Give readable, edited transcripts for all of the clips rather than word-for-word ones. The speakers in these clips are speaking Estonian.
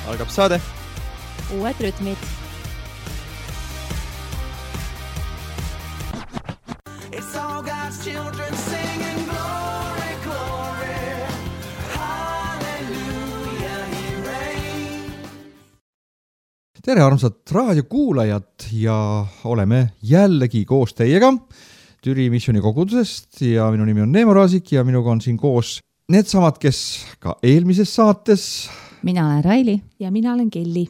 Algab saade. Uued rütmid. It's all God's children singing glory, glory, hallelujah, he reigns. Tere armsad raadiokuulajad ja oleme jällegi koos teiega Türi missiooni kogudusest ja minu nimi on Neemo Raasik ja minuga on siin koos needsamad, kes ka eelmises saates. Mina olen Raili. Ja mina olen Kelly.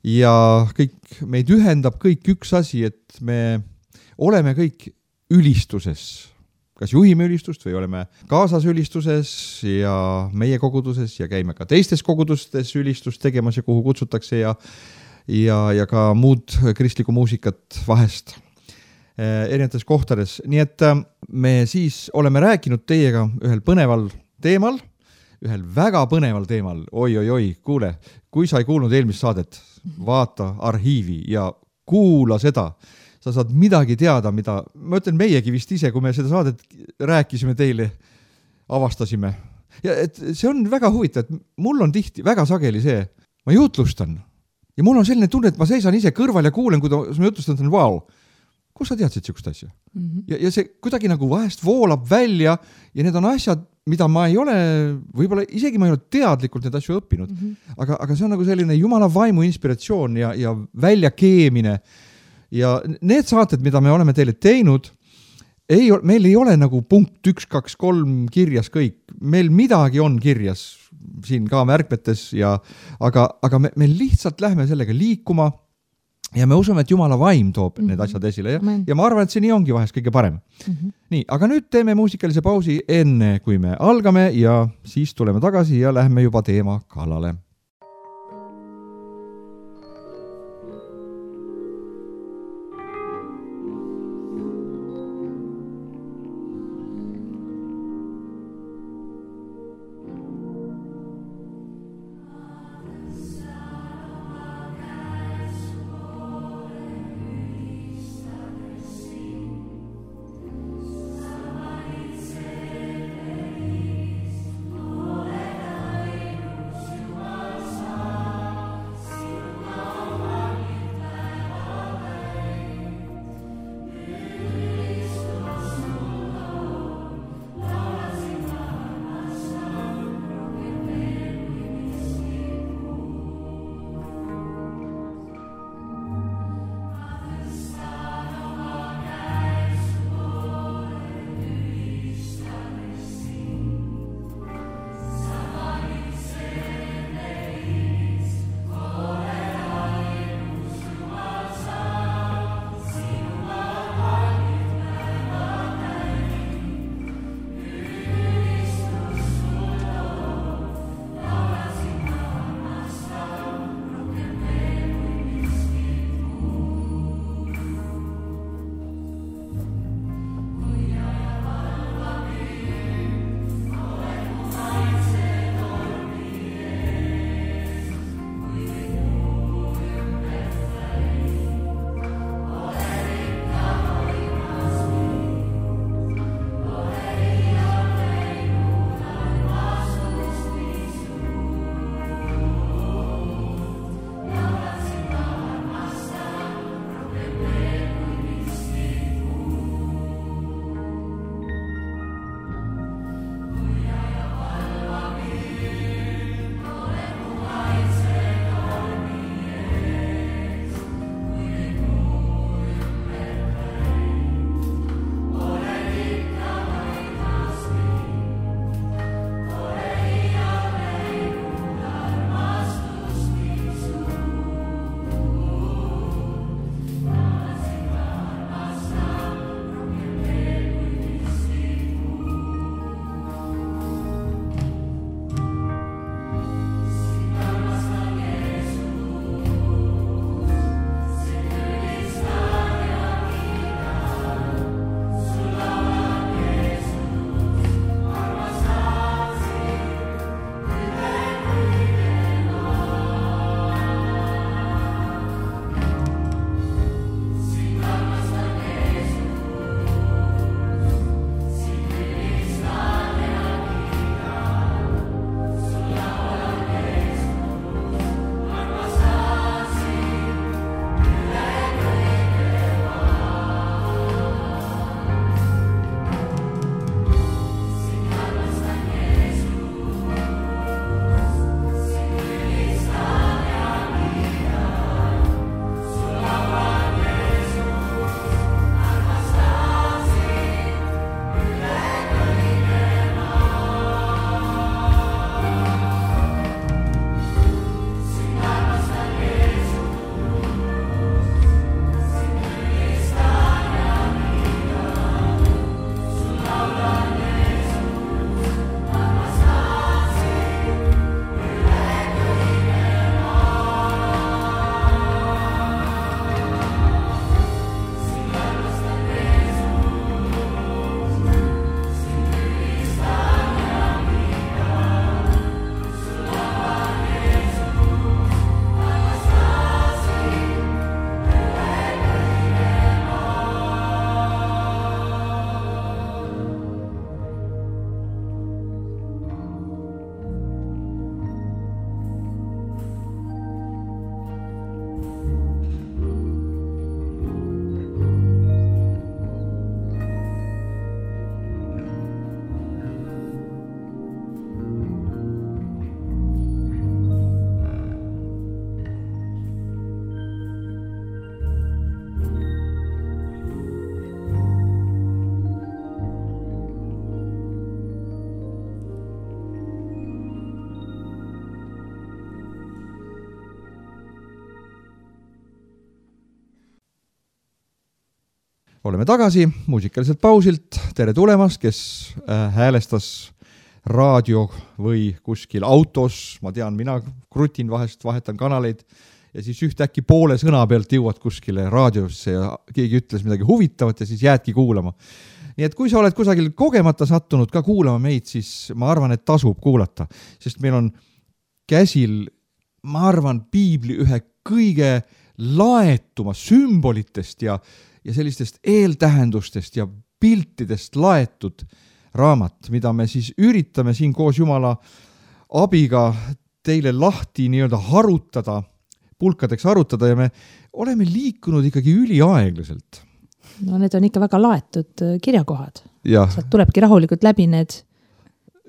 Ja kõik meid ühendab kõik üks asi, et me oleme kõik ülistuses. Kas juhime ülistust või oleme kaasas ülistuses ja meie koguduses ja käime ka teistes kogudustes ülistust tegemas ja kuhu kutsutakse ja ka muud kristlikku muusikat vahest erinevates kohtades. Nii et me siis oleme rääkinud teiega ühel põneval teemal, ühel väga põneval teemal. Oi, kuule, kui sa ei kuulnud eelmist saadet, vaata arhiivi ja kuula seda. Sa saad midagi teada, mida, ma ütlen meiegi vist ise, kui me seda saadet rääkisime teile, avastasime. Ja et see on väga huvitav, et mul on tihti väga sageli see, ma jutlustan ja mul on selline tunne, et ma seisan ise kõrval ja kuulen, kui ma jutlustan, et vau, kus sa teadsid siukest asja? Ja see kuidagi nagu vahest voolab välja ja need on asjad, mida ma ei ole, võib-olla isegi ma ei ole teadlikult need asju õppinud, aga see on nagu selline jumala vaimu inspiratsioon ja väljakeemine ja need saated, mida me oleme teile teinud, meil ei ole nagu punkt 1, 2, 3 kirjas kõik, meil midagi on kirjas siin ka märkmetes aga me lihtsalt lähme sellega liikuma ja me usume, et Jumala vaim toob need asjad esile ja ma arvan, et see nii ongi vahest kõige parem. Nii, aga nüüd teeme muusikalise pausi enne, kui me algame ja siis tuleme tagasi ja lähme juba teema kallale. oleme tagasi muusikaliselt pausilt. Tere tulemast, kes häälestas raadio või kuskil autos. Ma tean, mina krutin vahest, vahetan kanaleid ja siis ühtäkki poole sõna pealt jõuad kuskile raadiosse ja keegi ütles midagi huvitavat ja siis jäädki kuulama. Nii et kui sa oled kusagil kogemata sattunud ka kuulama meid, siis ma arvan, et tasub kuulata, sest meil on käsil, ma arvan, piibli ühe kõige laetuma sümbolitest ja sellistest eeltähendustest ja piltidest laetud raamat, mida me siis üritame siin koos Jumala abiga teile lahti nii-öelda harutada, pulkadeks harutada ja me oleme liikunud ikkagi üliaeglaselt. No need on ikka väga laetud kirjakohad. Ja. Sealt tulebki rahulikult läbi need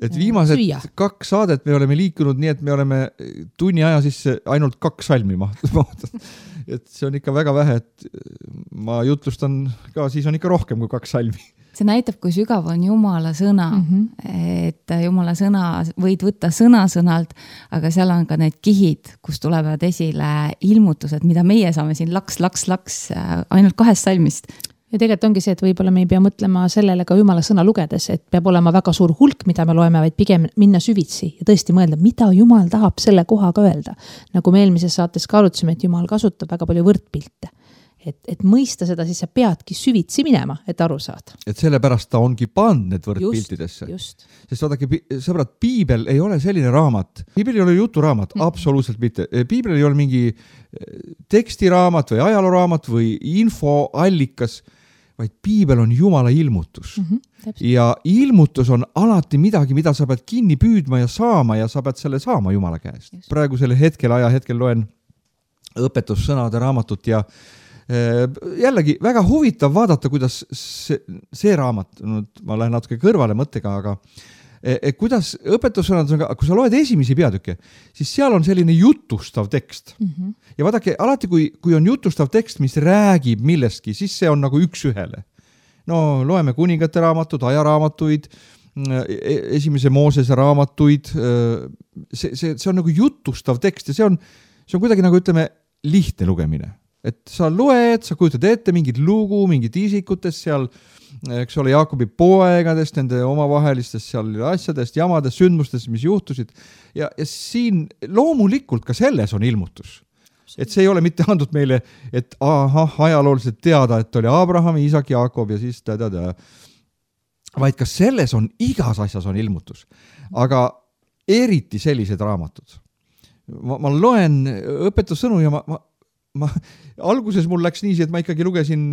et viimased süüa. 2 saadet me oleme liikunud nii, et me oleme tunni aja sisse ainult 2 salmi mahtud. Et see on ikka väga vähe, et ma jutlustan ka, siis on ikka rohkem kui 2 salmi. See näitab, kui sügav on Jumala sõna, et Jumala sõna võid võtta sõna-sõnalt, aga seal on ka need kihid, kus tulevad esile ilmutused, mida meie saame siin laks ainult 2 salmist. Ja tegelikult ongi see, et võib-olla me ei pea mõtlema sellele ka Jumala sõna lugedes, et peab olema väga suur hulk, mida me loeme, vaid pigem minna süvitsi ja tõesti mõelda, mida Jumal tahab selle kohaga öelda. Nagu me eelmises saates ka arutasime, et Jumal kasutab väga palju võrdpilte. Et mõista seda, siis sa peadki süvitsi minema, et aru saad. Et sellepärast ta ongi pannud need võrdpiltidesse. Just. Sest vaadake, sõbrad, piibel ei ole selline raamat. Piibel ei ole juturaamat, absoluutselt mitte. Piibel ei ole mingi tekstiraamat või ajalooraamat või infoallikas, vaid piibel on Jumala ilmutus. Ja ilmutus on alati midagi, mida sa pead kinni püüdma ja saama ja sa pead selle saama Jumala käest. Just. Praegusel ajahetkel loen õpetussõnade raamatut ja jällegi väga huvitav vaadata, kuidas see raamat, ma lähen natuke kõrvale mõttega, aga kuidas õpetussõnad on, kui sa loed esimesi peatükke, siis seal on selline jutustav tekst. Ja vaadake, alati kui on jutustav tekst, mis räägib millestki, siis see on nagu üks ühele. No loeme kuningate raamatud, ajaraamatuid, esimese Moosese raamatuid, see on nagu jutustav tekst ja see on kuidagi nagu ütleme lihtne lugemine. Et sa loed, sa kujutad ette mingid lugu, mingid isikutest seal, eks ole, Jaakobi poegadest, nende omavahelistest seal asjadest, jamadest, sündmustest, mis juhtusid. Ja siin loomulikult ka selles on ilmutus. Et see ei ole mitte andnud meile, et ajalooliselt teada, et oli Abraham, Isak, Jaakob ja siis vaid ka selles on, igas asjas on ilmutus. Aga eriti sellised raamatud. Ma loen õpetussõnu ja ma alguses mul läks nii, et ma ikkagi lugesin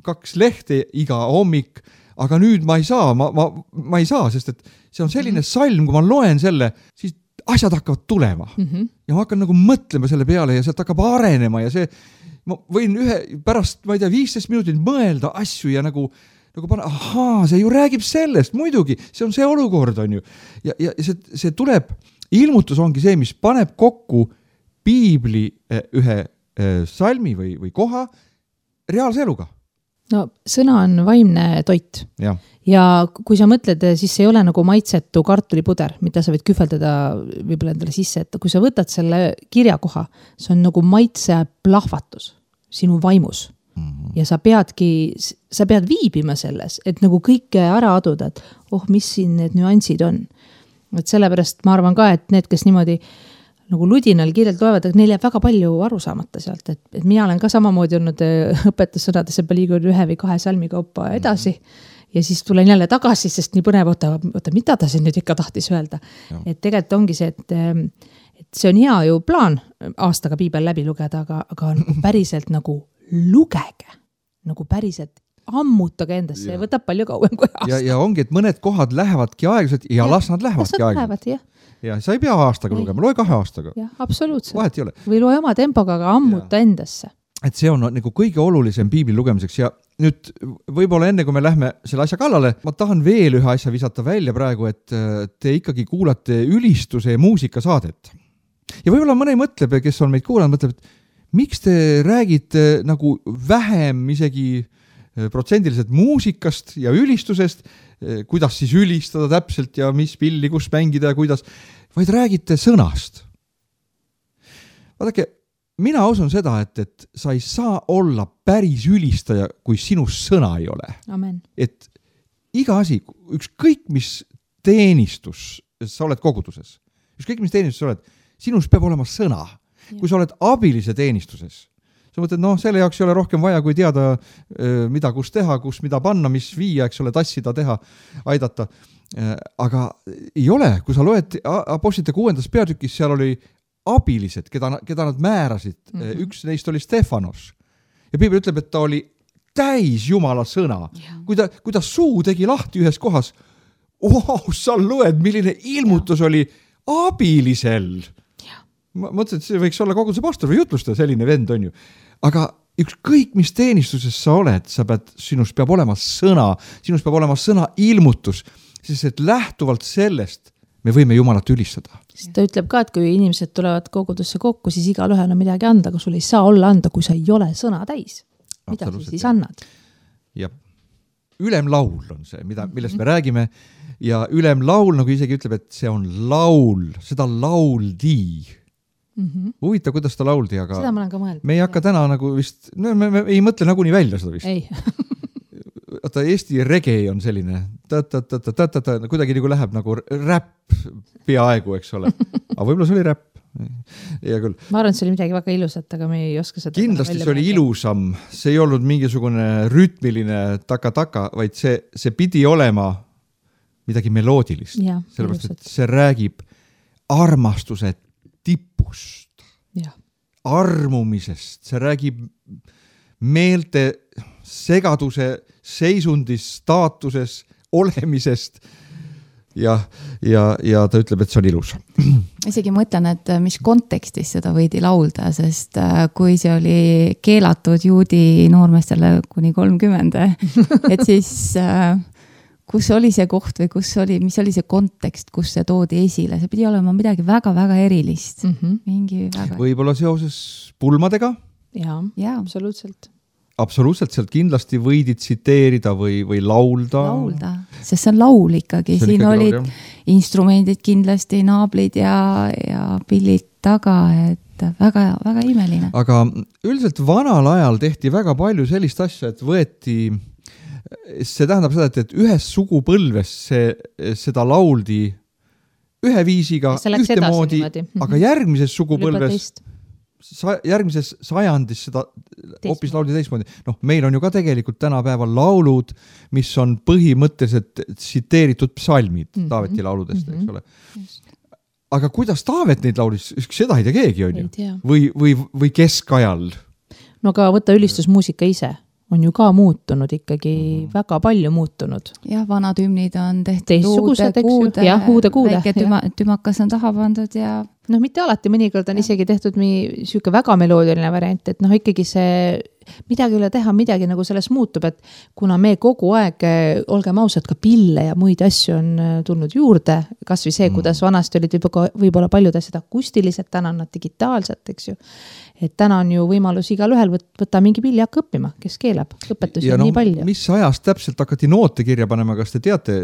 2 lehte iga hommik, aga nüüd ma ei saa, ma ei saa, sest et see on selline salm, kui ma loen selle, siis asjad hakkavad tulema. Ja ma hakkan nagu mõtlema selle peale ja sealt hakkab arenema ja see, ma võin pärast, ma ei tea, 15 minutit mõelda asju ja nagu panna, see ju räägib sellest, muidugi, see on see olukord, on ju. Ja see tuleb, ilmutus ongi see, mis paneb kokku piibli ühe salmi või koha reaalse eluga. No sõna on vaimne toit. Ja. Ja kui sa mõtled, siis see ei ole nagu maitsetu kartulipuder, mida sa võid kühveldada võib-olla endale sisse, et kui sa võtad selle kirjakoha, see on nagu maitse plahvatus sinu vaimus. Ja sa pead viibima selles, et nagu kõike ära aduda, et mis siin need nüansid on. Et sellepärast ma arvan ka, et need, kes niimoodi nagu ludinal kirjalt loevad, et neil jääb väga palju aru saamata sealt, et mina olen ka samamoodi olnud õpetussõnadesse liigunud 1 või 2 salmi kaupa edasi ja siis tulen jälle tagasi, sest nii põnev, oota, mida ta siin nüüd ikka tahtis öelda. Ja. Et tegelikult ongi see, et see on hea ju plaan aastaga piibel läbi lugeda, aga nagu päriselt nagu lugege, nagu päriselt ammutage endasse ja võtab palju kauem kui aasta. Ja ongi, et mõned kohad lähevadki aeglaselt ja las nad lähevadki aeglaselt. Ja sa ei pea aastaga lugema, loe 2 aastaga. Jah, absoluutselt. Vahet ei ole. Või loe oma tempoga, aga ammuta endasse. Et see on nagu kõige olulisem piibli lugemiseks ja nüüd võib-olla enne, kui me lähme selle asja kallale, ma tahan veel ühe asja visata välja praegu, et te ikkagi kuulate ülistuse ja muusikasaadet. Ja võib-olla mõne mõtleb, kes on meid kuulanud, mõtleb, et miks te räägite nagu vähem isegi protsendiliselt muusikast ja ülistusest, kuidas siis ülistada täpselt ja mis pilli, kus mängida ja kuidas, vaid räägite sõnast. Vaadake, mina usun seda, et sa ei saa olla päris ülistaja, kui sinust sõna ei ole. Amen. Et iga asi, ükskõik mis teenistus, sa oled koguduses, ükskõik mis teenistus sa oled, sinus peab olema sõna. Kui sa oled abilise teenistuses, sa mõtled, selle jaoks ei ole rohkem vaja, kui teada, mida kus teha, kus mida panna, mis viia, eks ole, tassida, teha, aidata. Aga ei ole, kui sa loed Apostlite 6. peatükis, seal oli abilised, keda nad määrasid. Üks neist oli Stefanos. Ja Piibel ütleb, et ta oli täis Jumala sõna. Kui ta suu tegi lahti ühes kohas, sa loed, milline ilmutus oli abilisel. Ma mõtlen, et see võiks olla koguduse pastor või jutlustaja, selline vend on ju. Aga ükskõik mis teenistuses sa oled, sinust peab olema sõna, sinust peab olema sõna ilmutus, sest et lähtuvalt sellest me võime Jumalat ülistada. Ta ütleb ka, et kui inimesed tulevad kogudusse kokku, siis igalühel on midagi anda, aga sul ei saa olla anda, kui sa ei ole sõna täis. Mida siis annad? Ja ülemlaul on see, millest me räägime ja ülemlaul, nagu isegi ütleb, et see on laul, seda lauldi. Huvitav, kuidas ta lauldi, aga seda ma olen ka mõelnud. Me ei hakka täna nagu vist, me ei mõtle nagu nii välja seda vist. Ei. Vaata, Eesti reggae on selline, kuidagi nagu läheb nagu räpp peaaegu, eks ole. Aga võib-olla see oli räpp. Ja küll. Ma arvan, et see oli midagi väga ilusat, aga me ei oska seda. Kindlasti see oli ilusam, see ei olnud mingisugune rütmiline taka-taka, vaid see pidi olema midagi meloodilist. Sellepärast, et see räägib armastuse tipust, armumisest, see räägib meelte segaduse seisundis, staatuses, olemisest ja ta ütleb, et see on ilus. Isegi mõtlen, et mis kontekstis seda võidi laulda, sest kui see oli keelatud juudi noormestele kuni 30, et siis kus oli see koht või mis oli see kontekst, kus see toodi esile, see pidi olema midagi väga-väga erilist. Mingi väga... Võib-olla seoses pulmadega? Jaa, absoluutselt. Absoluutselt, sealt kindlasti võidi tsiteerida või laulda. Laulda, sest see on laul ikkagi. Siin olid instrumendid kindlasti, naablid ja pillid taga, et väga, väga imeline. Aga üldiselt vanal ajal tehti väga palju sellist asja, et võeti... See tähendab seda, et ühes sugupõlves seda lauldi ühe viisiga ühtemoodi, aga järgmises sugupõlves, järgmises sajandis seda hoopis lauldi teistmoodi. Meil on ju ka tegelikult tänapäeval laulud, mis on põhimõtteliselt tsiteeritud psalmid Taaveti lauludest, eks ole. Aga kuidas Taavet neid laulis, seda ei tea keegi on ju? Või keskajal? No aga võtta ülistusmuusika ise. On ju ka muutunud ikkagi, väga palju muutunud. Jah, vanad hümnid on tehtud uude-kuude. Väike tümakas on taha pandud ja... mitte alati, mõnikord on isegi tehtud siuke väga meloodiline variant, et ikkagi see midagi üle teha, midagi nagu sellest muutub, et kuna me kogu aeg, olgem ausad, ka pille ja muid asju on tulnud juurde, kas või see, kuidas vanasti olid võib-olla paljud asjad akustilised, täna on nad digitaalselt, eks ju. Et täna on ju võimalus igal ühel võtta mingi pilli hakka õppima, kes keelab, õpetusi on nii palju. Mis ajast täpselt hakati noote kirja panema, kas te teate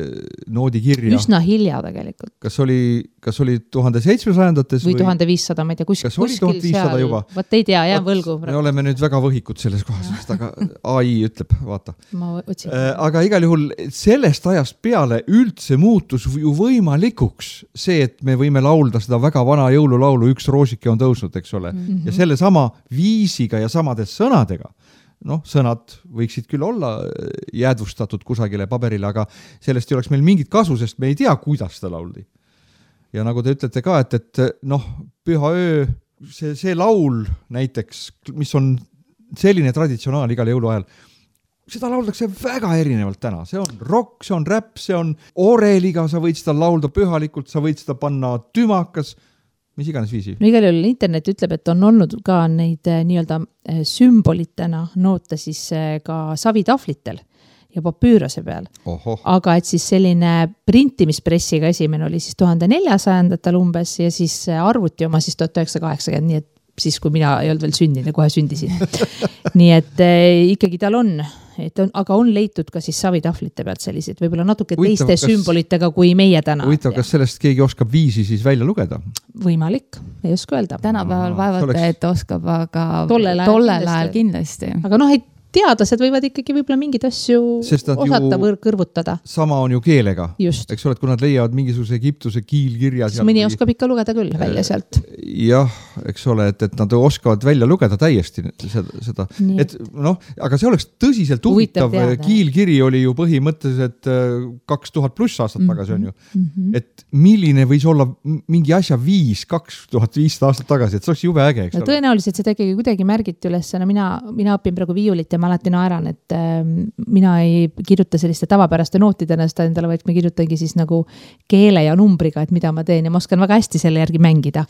noodi kirja? Üsna hilja tegelikult. Kas oli 1700-ndates või 1500, ma ei tea, kuskil seal juba? Võt ei tea, jää võlgu. Me oleme nüüd väga võhikud selles kohas, aga AI ütleb, vaata. Ma otsin. Aga igal juhul sellest ajast peale üldse muutus ju võimalikuks see, et me võime laulda seda väga vana jõululaulu Üks roosike on tõusnud, eks ole. Ja selle sama viisiga ja samade sõnadega. Sõnad võiksid küll olla jäädvustatud kusagile paberile, aga sellest ei oleks meil mingit kasu, sest me ei tea, kuidas seda lauldi. Ja nagu te ütlete ka, et püha öö, see laul näiteks, mis on selline traditsionaal igal jõuluajal, seda lauldakse väga erinevalt täna. See on rock, see on räpp, see on oreliga, sa võid seda laulda pühalikult, sa võid seda panna tümakas, mis iganes viisi. No igal juhul internet ütleb, et on olnud ka neid nii-öelda sümbolitena noote siis ka savitahvlitel ja papüürase peal. Aga et siis selline printimispressiga esimene oli siis 1400-ndatel umbes ja siis arvuti oma siis 1980, nii et siis, kui mina ei olnud veel sündinud ja kohe sündisin. Nii et ikkagi tal on aga on leitud ka siis savitahvlite pealt selliseid, võib-olla natuke teiste sümbolitega kui meie täna. Huvitav, kas sellest keegi oskab viisi siis välja lugeda? Võimalik, ei oska öelda. Tänapäeval vaevalt, et oskab, aga tollel ajal kindlasti. Aga teadlased võivad ikkagi võib-olla mingeid asju osata kõrvutada. Sama on ju keelega. Just. Eks ole, et kui nad leiavad mingisuguse Egiptuse kiilkirja siis mõni oskab ikka lugeda küll välja sealt. Jah, eks ole, et nad oskavad välja lugeda täiesti seda. Et aga see oleks tõsiselt huvitav. Kiilkiri oli ju põhimõtteliselt 2000 pluss aastat tagasi on ju. Et milline võis olla mingi asja 2500 aastat tagasi, et see oleks jube äge, eks ole. Tõenäoliselt seda kuidagi märgiti üles. Mina õpin praegu viiulit ja ma alati naeran, et mina ei kirjuta selliste tavapäraste nootidena seda endale, vaid ma kirjutangi siis nagu keele ja numbriga, et mida ma teen ja ma oskan väga hästi selle järgi mängida.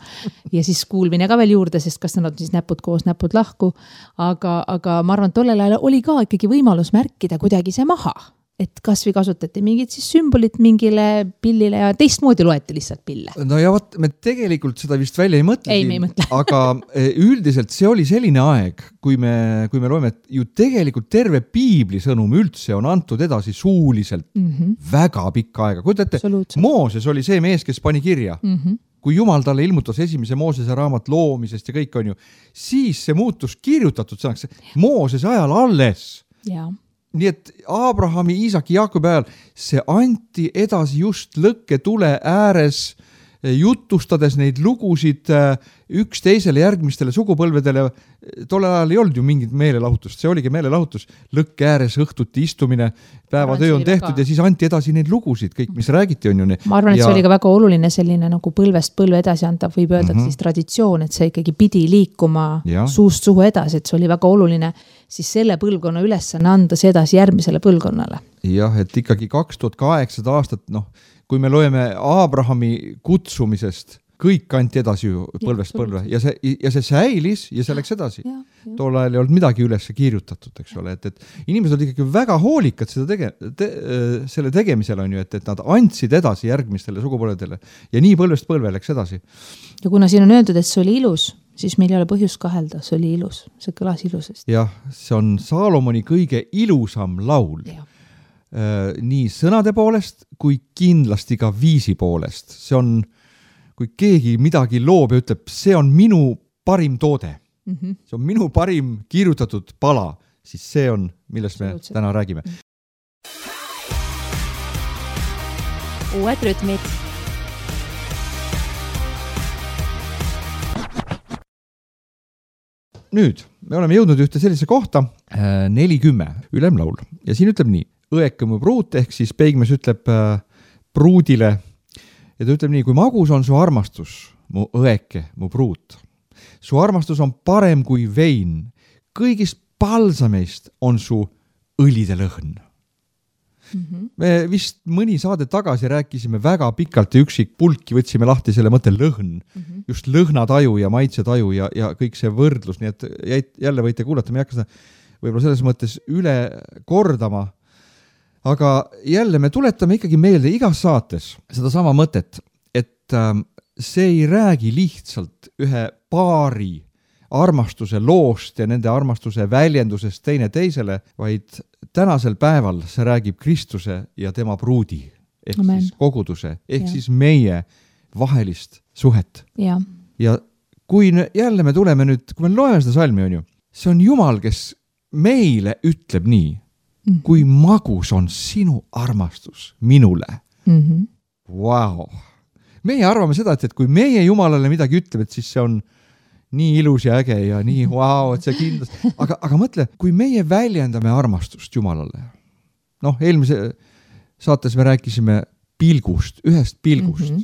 Ja siis kuulmine ka veel juurde, sest kas nad on siis näpud koos, näpud lahku. Aga ma arvan, et tollel ajal oli ka ikkagi võimalus märkida kuidagi see maha. Et kas või kasutati mingid siis sümbolit mingile pillile ja teistmoodi loeti lihtsalt pille. No ja võt, me tegelikult seda vist välja ei mõtle. Ei, me ei mõtle. Aga üldiselt see oli selline aeg, kui me loeme, et ju tegelikult terve piibli sõnum üldse on antud edasi suuliselt väga pikka aega. Kujutate, Mooses oli see mees, kes pani kirja. Kui Jumal talle ilmutas esimese Moosese raamat loomisest ja kõik on ju, siis see muutus kirjutatud sõnaks Moosese ajal alles. Jaa. Nii et Abrahami, Iisaki, Jaakobi ajal see anti edasi just lõkketule ääres, jutustades neid lugusid üksteisele järgmistele sugupõlvedele. Tollel ajal ei olnud ju mingit meelelahutust, see oligi meelelahutus. Lõkke ääres õhtuti istumine, päevatöö on tehtud ja siis anti edasi neid lugusid, kõik, mis räägiti on ju. Ma arvan, et see oli ka väga oluline selline nagu põlvest põlve edasi antav, võib öelda siis traditsioon, et see ikkagi pidi liikuma suust suhu edasi, et see oli väga oluline siis selle põlvkonna ülesanne anda see edasi järgmisele põlvkonnale. Jah, et ikkagi 2008 aastat, kui me loeme Abrahami kutsumisest, kõik kanti edasi ju põlvest põlve ja see säilis ja see läks edasi. Tol ajal ei olnud midagi üles kirjutatud, eks ole, et inimesed olid ikkagi väga hoolikad selle tegemisel on ju, et nad andsid edasi järgmistele sugupõlvedele ja nii põlvest põlve läks edasi. Ja kuna siin on öeldud, et see oli ilus, siis meil ei ole põhjust kahelda, see oli ilus, see kõlas ilusest. Jah, see on Saalomoni kõige ilusam laul. Nii sõnade poolest kui kindlasti ka viisi poolest. See on, kui keegi midagi loob ja ütleb, see on minu parim toode. See on minu parim kirjutatud pala, siis see on, millest me täna räägime. Uued rütmid. Nüüd, me oleme jõudnud ühte sellise kohta, 40 ülemlaul ja siin ütleb nii, õeke mu pruut, ehk siis peigmees ütleb pruudile ja ta ütleb nii, kui magus on su armastus, mu õeke, mu pruut. Su armastus on parem kui vein, kõigist palsameist on su õlide lõhn. Me vist mõni saade tagasi rääkisime väga pikalt ja üksik pulki võtsime lahti selle mõtte lõhn, just lõhnataju ja maitsetaju ja kõik see võrdlus, nii et jälle võite kuulata, me ei hakka seda võib-olla selles mõttes üle kordama, aga jälle me tuletame ikkagi meelde igas saates seda sama mõtet, et see ei räägi lihtsalt ühe paari armastuse loost ja nende armastuse väljendusest teine teisele, vaid tänasel päeval see räägib Kristuse ja tema pruudi, ehk Amen. siis koguduse, ehk siis meie vahelist suhet. Ja kui jälle me tuleme nüüd, kui me loeme seda salmi, on ju, see on Jumal, kes meile ütleb nii, kui magus on sinu armastus minule. Wow. Meie arvame seda, et kui meie Jumalale midagi ütleb, et siis see on nii ilus ja äge ja nii wow, et see kindlasti. Aga mõtle, kui meie väljendame armastust Jumalale. Eelmise saates me rääkisime pilgust, ühest pilgust,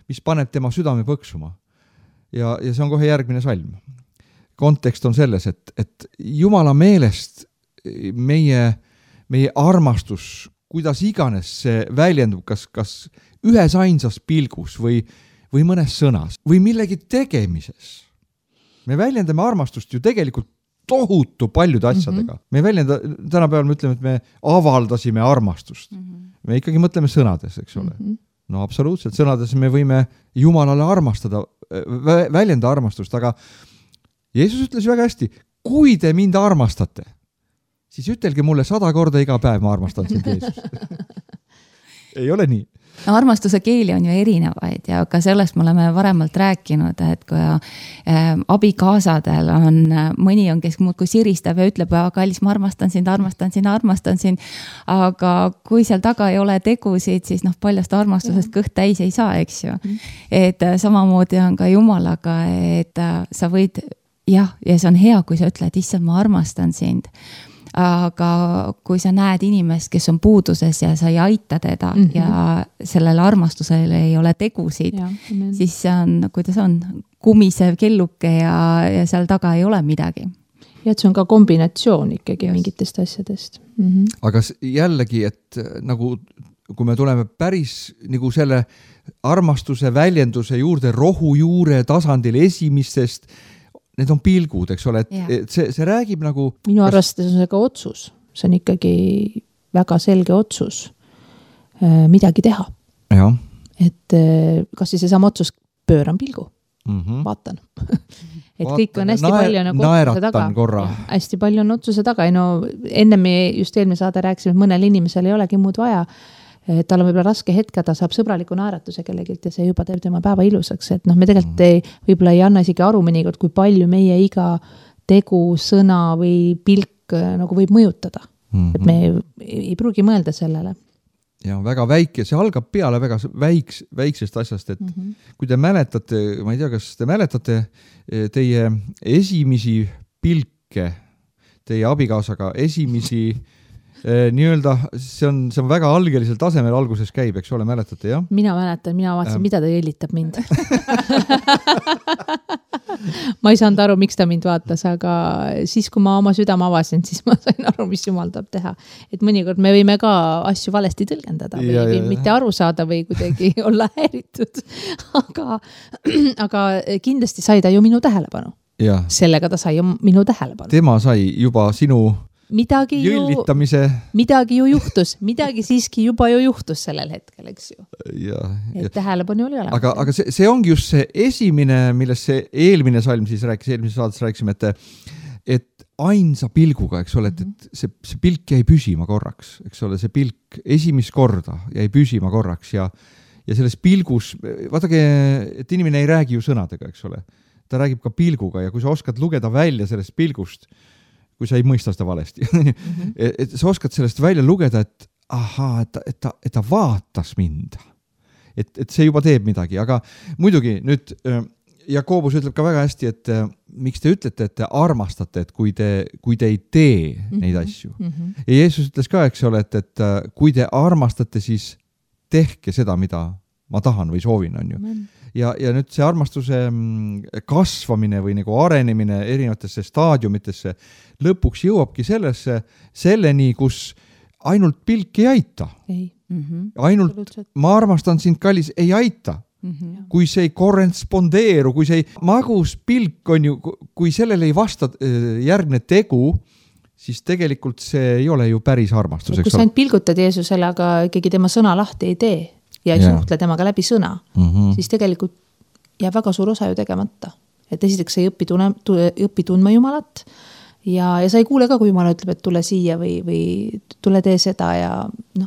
mis paneb tema südame põksuma. Ja see on kohe järgmine salm. Kontekst on selles, et Jumala meelest meie armastus, kuidas iganes see väljendub, kas ühes ainsas pilgus või mõnes sõnas või millegi tegemises. Me väljendame armastust ju tegelikult tohutu paljude asjadega. Me ei väljenda, tänapäeval me ütleme, et me avaldasime armastust. Me ikkagi mõtleme sõnades, eks ole. No absoluutselt, sõnades me võime Jumalale armastada, väljenda armastust, aga Jeesus ütles väga hästi, kui te mind armastate, siis ütelge mulle 100 korda iga päev, ma armastan sind, Jeesus. Ei ole nii? No armastuse keeli on ju erinevaid ja ka sellest me oleme varemalt rääkinud, et kui abikaasadel on, mõni on, kes muudkui siristab ja ütleb, kallis, ma armastan sind, aga kui seal taga ei ole tegusid, siis paljast armastusest kõht täis ei saa, eks ju. Et samamoodi on ka Jumalaga, et sa võid, ja see on hea, kui sa ütled, issand, ma armastan sind. Aga kui sa näed inimest, kes on puuduses ja sa ei aita teda ja sellele armastusele ei ole tegusid, siis see on, kuidas on, kumisev kelluke ja seal taga ei ole midagi. Ja et see on ka kombinatsioon ikkagi mingitest asjadest. Aga jällegi, et nagu kui me tuleme päris nagu selle armastuse väljenduse juurde rohujuure tasandil esimistest, need on pilgud, eks ole, et see räägib nagu... Minu arvestades on see ka otsus. See on ikkagi väga selge otsus midagi teha. Ja. Et kas siis see sama otsus pööran pilgu? Vaatan. Et kõik on hästi palju nagu otsuse taga. Korra. Hästi palju on otsuse taga. No, enne me just eelmine saade rääksime, et mõnel inimesel ei olegi muud vaja. Tal on võib-olla raske hetk, ta saab sõbraliku naeratuse kellegilt ja see juba teeb tema päeva ilusaks. Et me tegelikult võib-olla ei anna isegi aru mõnikord, kui palju meie iga tegu, sõna või pilk nagu võib mõjutada. Et me ei pruugi mõelda sellele. Ja väga väike, see algab peale väga väiksest asjast, et kui te mäletate, ma ei tea, kas te mäletate teie esimisi pilke, teie abikaasaga esimisi nii-öelda, see on väga algelisel tasemel alguses käib, eks ole, mäletate, jah? Mina mäletan, mina vaatasin, mida ta jõllitab mind. Ma ei saanud aru, miks ta mind vaatas, aga siis, kui ma oma südame avasin, siis ma sain aru, mis Jumal tahab teha. Et mõnikord me võime ka asju valesti tõlgendada või mitte aru saada või kuidagi olla häiritud. Aga kindlasti sai ta ju minu tähelepanu. Ja. Sellega ta sai ju minu tähelepanu. Tema sai juba sinu... Midagi ju juhtus, midagi siiski juba ju juhtus sellel hetkel, eks ju. Et tähelepanu oli olemas. Aga see ongi just see esimene, millest see eelmine salm siis rääkis, eelmises saates rääkisime, et ainsa pilguga, eks ole, et see pilk jäi püsima korraks, eks ole, see pilk esimest korda jäi püsima korraks ja selles pilgus, vaadake, et inimene ei räägi ju sõnadega, eks ole, ta räägib ka pilguga ja kui sa oskad lugeda välja sellest pilgust, kui sa ei mõista seda valesti. Et sa oskad sellest välja lugeda, et ahaa, et ta vaatas mind. Et see juba teeb midagi, aga muidugi nüüd Jakobus ütleb ka väga hästi, et miks te ütlete, et te armastate, et kui te ei tee neid asju. Ja Jeesus ütles ka, eks ole, et kui te armastate, siis tehke seda, mida ma tahan või soovin, on ju. Ja nüüd see armastuse kasvamine või nagu arenemine erinevatesse staadiumitesse lõpuks jõuabki selleni, kus ainult pilk ei aita. Ainult ma armastan sind, kallis, ei aita. Kui see ei korrespondeeru, kui see magus pilk on ju, kui sellele ei vasta järgne tegu, siis tegelikult see ei ole ju päris armastus. Kui sa ainult pilgutad Jeesusele, aga ikkagi tema sõna lahti ei tee ja ei suhtle temaga läbi sõna, siis tegelikult jääb väga suur osa ju tegemata. Et esiteks sa ei õpi tundma Jumalat ja sa ei kuule ka, kui Jumal ütleb, et tule siia või tule tee seda ja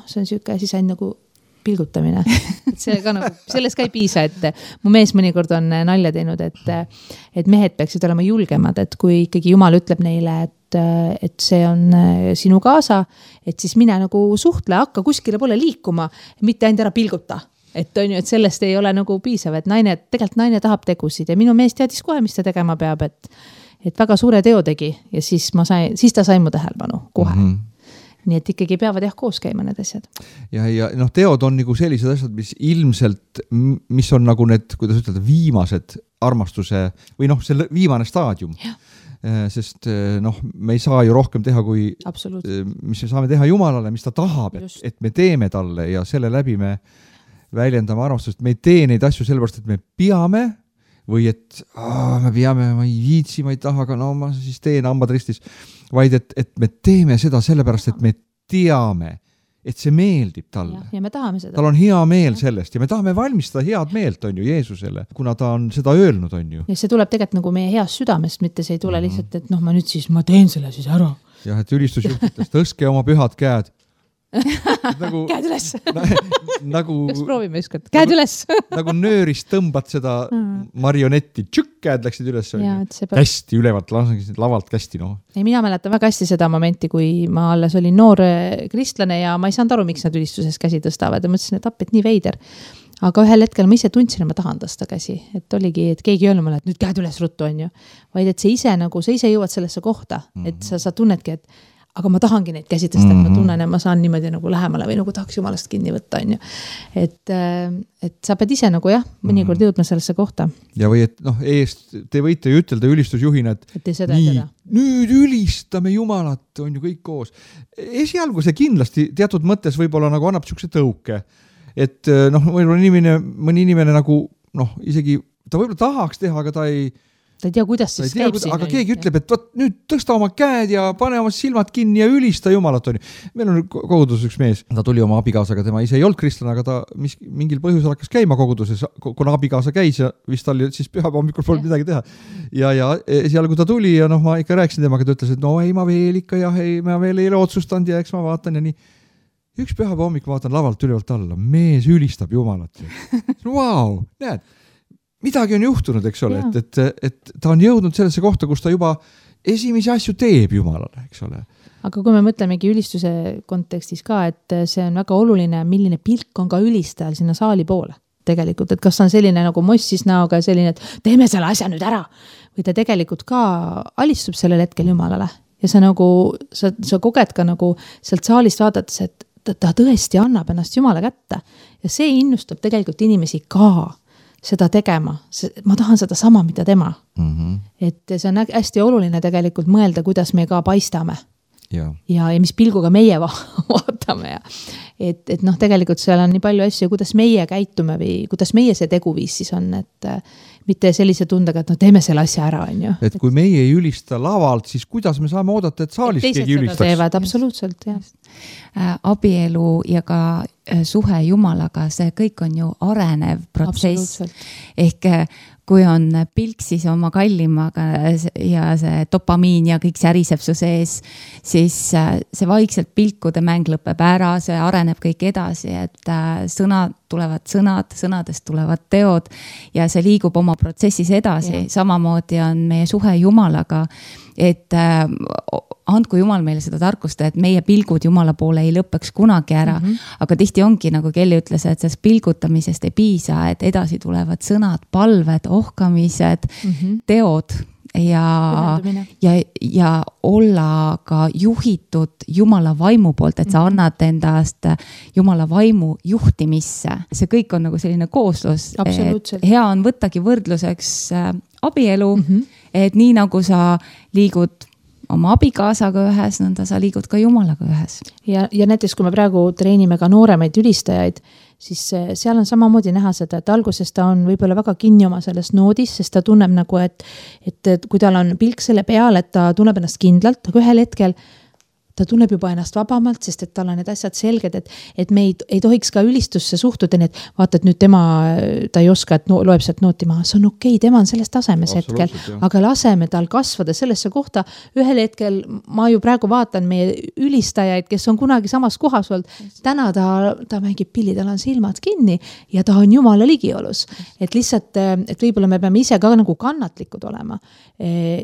see on siuke asi sain nagu pilgutamine. See ka nagu, sellest ka ei piisa, et mu mees mõnikord on nalja teinud, et mehed peaksid olema julgemad, et kui ikkagi Jumal ütleb neile, et see on sinu kaasa, et siis mine nagu suhtle, hakka kuskile pole liikuma, mitte ainult ära pilguta. Et on ju, et sellest ei ole nagu piisav, et tegelikult naine tahab tegusid ja minu mees teadis kohe, mis ta tegema peab, et väga suure teo tegi ja siis ta sai mu tähelepanu kohe. Nii et ikkagi peavad koos käima need asjad. Ja teod on nagu sellised asjad, mis on nagu need, kuidas ütelda, viimased armastuse või see viimane staadium. Ja. Sest me ei saa ju rohkem teha, kui mis me saame teha Jumalale, mis ta tahab, et me teeme talle ja selle läbi me väljendame armastust. Me ei tee neid asju sellepärast, et me peame või et me peame, ma ei viitsi, ma ei taha, aga ma siis teen hambad ristis, vaid et me teeme seda sellepärast, et me teame, et see meeldib talle. Ja me tahame seda. Tal on hea meel sellest ja me tahame valmistada head meelt, on ju, Jeesusele, kuna ta on seda öelnud, on ju. Ja see tuleb tegelikult nagu meie heast südamest, mitte see ei tule lihtsalt, et ma nüüd siis, ma teen selle siis ära. jah, et ülistusjuhtidest tõstke oma pühad käed. Nagu, käed üles. Nagu, kas proovime ükskord? Käed üles. Nagu nöörist tõmbad seda marionetti. Tšükk, käed läksid üles. Kästi ülevalt, lavalt kästi. No. Ei, mina mäletan väga hästi seda momenti, kui ma alles olin noor kristlane ja ma ei saanud aru, miks nad ülistuses käsi tõstavad ja mõtlesin, et appi, et nii veider. Aga ühel hetkel ma ise tundsin, et ma tahan tõsta käsi. Et oligi, et keegi öelnud mulle, et nüüd käed üles ruttu on ju. Vaid et sa ise jõuad sellesse kohta, et sa tunnedki, et aga ma tahangi neid käsi tõsta, et ma tunnen, et ma saan niimoodi nagu lähemale või nagu tahaks jumalast kinni võtta, on ju. Et sa pead ise nagu jah, mõnikord jõudma sellesse kohta. Ja või et noh, te võite ju ütelda ülistusjuhina, et nii, nüüd ülistame Jumalat, on ju kõik koos. Esialgu see kindlasti teatud mõttes võib-olla nagu annab niisuguse tõuke, et noh, mõni inimene nagu noh, isegi ta võib-olla tahaks teha, aga ta ei tea, kuidas siis käib siin. Aga keegi ütleb, et võt, nüüd tõsta oma käed ja pane oma silmad kinni ja ülista Jumalat. On. Meil on koguduses üks mees, ta tuli oma abikaasaga, tema ise ei olnud kristlane, aga ta mingil põhjusel hakkas käima koguduses, kuna abikaasa käis ja vist tal siis pühapäeva hommikul polnud midagi teha. Ja seal, kui ta tuli ja noh, ma ikka rääkisin temaga, ta ütles, et no ei, ma veel ikka jah, ei, ma veel ei ole otsustanud ja eks ma vaatan ja nii. Üks pühapäeva hommik vaatan lavalt ülevalt alla, mees ülistab Jumalat. Vau, näed. Midagi on juhtunud, eks ole, et ta on jõudnud sellesse kohta, kus ta juba esimesi asju teeb Jumalale, eks ole. Aga kui me mõtlemegi ülistuse kontekstis ka, et see on väga oluline, milline pilk on ka ülistajal sinna saali poole tegelikult, et kas on selline nagu mossis näoga selline, et teeme selle asja nüüd ära või ta tegelikult ka alistub sellel hetkel Jumalale ja sa nagu, sa koged ka nagu sealt saalist vaadates, et ta tõesti annab ennast Jumala kätte ja see innustab tegelikult inimesi ka seda tegema. Ma tahan seda sama, mida tema. Et see on hästi oluline tegelikult mõelda, kuidas me ka paistame. Ja mis pilguga meie vaatame. Et noh, tegelikult seal on nii palju asju, kuidas meie käitume või kuidas meie see teguviis siis on, et mitte sellise tundega, et no teeme selle asja ära, on ju. Et kui meie ei ülista lavalt, siis kuidas me saame oodata, et saalis keegi ülistaks? Teevad, absoluutselt, jah. Abielu ja ka suhe Jumalaga, see kõik on ju arenev protsess. Ehk kui on pilk siis oma kallimaga ja see dopamiin ja kõik säriseb su sees, siis see vaikselt pilkude mäng lõpeb ära, see areneb kõik edasi, et tulevad sõnadest tulevad teod ja see liigub oma protsessis edasi. Samamoodi on meie suhe Jumalaga, et andku Jumal meile seda tarkust, et meie pilgud Jumala poole ei lõpeks kunagi ära, aga tihti ongi, nagu Kelly ütles, et sellest pilgutamisest ei piisa, et edasi tulevad sõnad, palved, ohkamised, teod ja olla ka juhitud Jumala vaimu poolt, et sa annad endast Jumala vaimu juhtimisse. See kõik on nagu selline kooslus. Hea on võttagi võrdluseks abielu, et nii nagu sa liigud oma abikaasaga ühes, nõnda sa liigud ka Jumalaga ühes. Ja näiteks, kui me praegu treenime ka nooremaid ülistajaid, siis seal on samamoodi näha seda, et alguses ta on võib-olla väga kinni oma selles noodis, sest ta tunneb nagu, et kui tal on pilk selle peal, et ta tunneb ennast kindlalt, aga ühel hetkel ta tunneb juba ennast vabamalt, sest et tal on need asjad selged, et me ei tohiks ka ülistusse suhtuda, nii et vaata, et nüüd ta ei oska, et loeb sealt nooti maha, see on okei, tema on selles tasemes hetkel, aga laseme tal kasvada sellesse kohta. Ühel hetkel ma ju praegu vaatan meie ülistajaid, kes on kunagi samas kohas olnud, täna ta mängib pilli, tal on silmad kinni ja ta on Jumala ligiolus. Et lihtsalt, et võib-olla me peame ise ka nagu kannatlikud olema.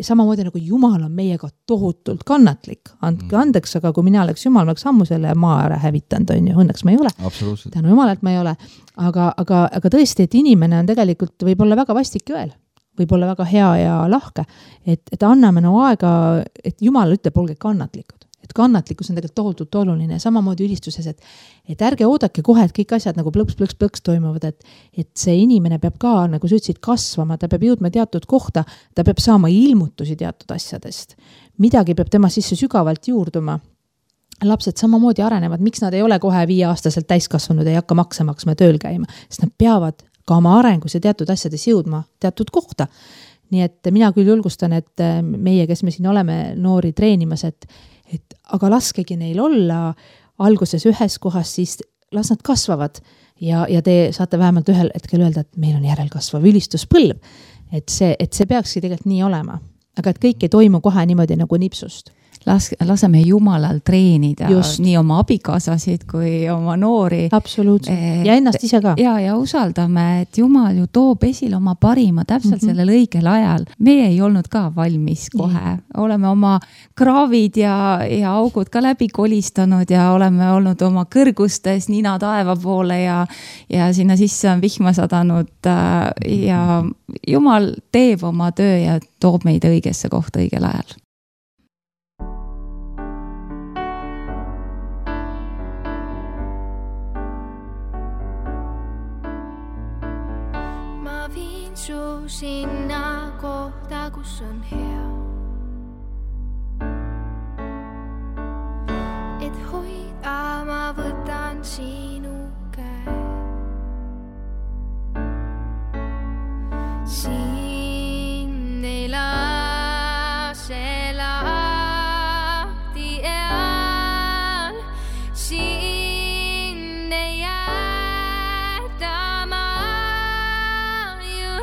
Samamoodi nagu Jumal on meiega tohutult kannatlik, andke andeks, aga kui mina oleks Jumal, ma oleks ammu selle maa ära hävitanud, on ju, õnneks ma ei ole. Tänu Jumalalt ma ei ole. Aga tõesti, et inimene on tegelikult võib-olla väga vastik jõel, võib-olla väga hea ja lahke, et anname aega, et Jumal ütleb, olge kannatlikud. Et kannatlikkus on tegelikult tohutult oluline, samamoodi ülistuses, et ärge oodake kohe, et kõik asjad nagu plõks toimuvad, et see inimene peab ka, nagu sa ütlesid, kasvama, ta peab jõudma teatud kohta, ta peab saama ilmutusi teatud asjadest. Midagi peab tema sisse sügavalt juurduma. Lapsed samamoodi arenevad, miks nad ei ole kohe 5-aastaselt täiskasvanud, ei hakka makse maksma tööl käima, sest nad peavad ka oma arengus ja teatud asjades jõudma teatud kohta. Nii et mina küll julgustan, et meie, kes me siin oleme noori treenimas, et aga laskegi neil olla alguses ühes kohas, siis las nad kasvavad ja te saate vähemalt ühel hetkel öelda, et meil on järelkasvav ülistuspõlv, et see peakski tegelikult nii olema, aga et kõik ei toimu kohe niimoodi nagu nipsust. laseme Jumalal treenida Just. nii oma abikaasasid kui oma noori. Absoluutselt. Ja ennast ise ka. Ja usaldame, et Jumal ju toob esile oma parima täpselt sellel õigel ajal. Meie ei olnud ka valmis kohe. Oleme oma kraavid ja augud ka läbi kolistanud ja oleme olnud oma kõrgustes nina taeva poole ja sinna sisse on vihma sadanud ja Jumal teeb oma töö ja toob meid õigesse kohta õigel ajal. Ma viin su sinna kohta, kus on hea. Et hoida ma võtan sinu käe. Siin ei lase lahti eal, siin ei jäta ma ju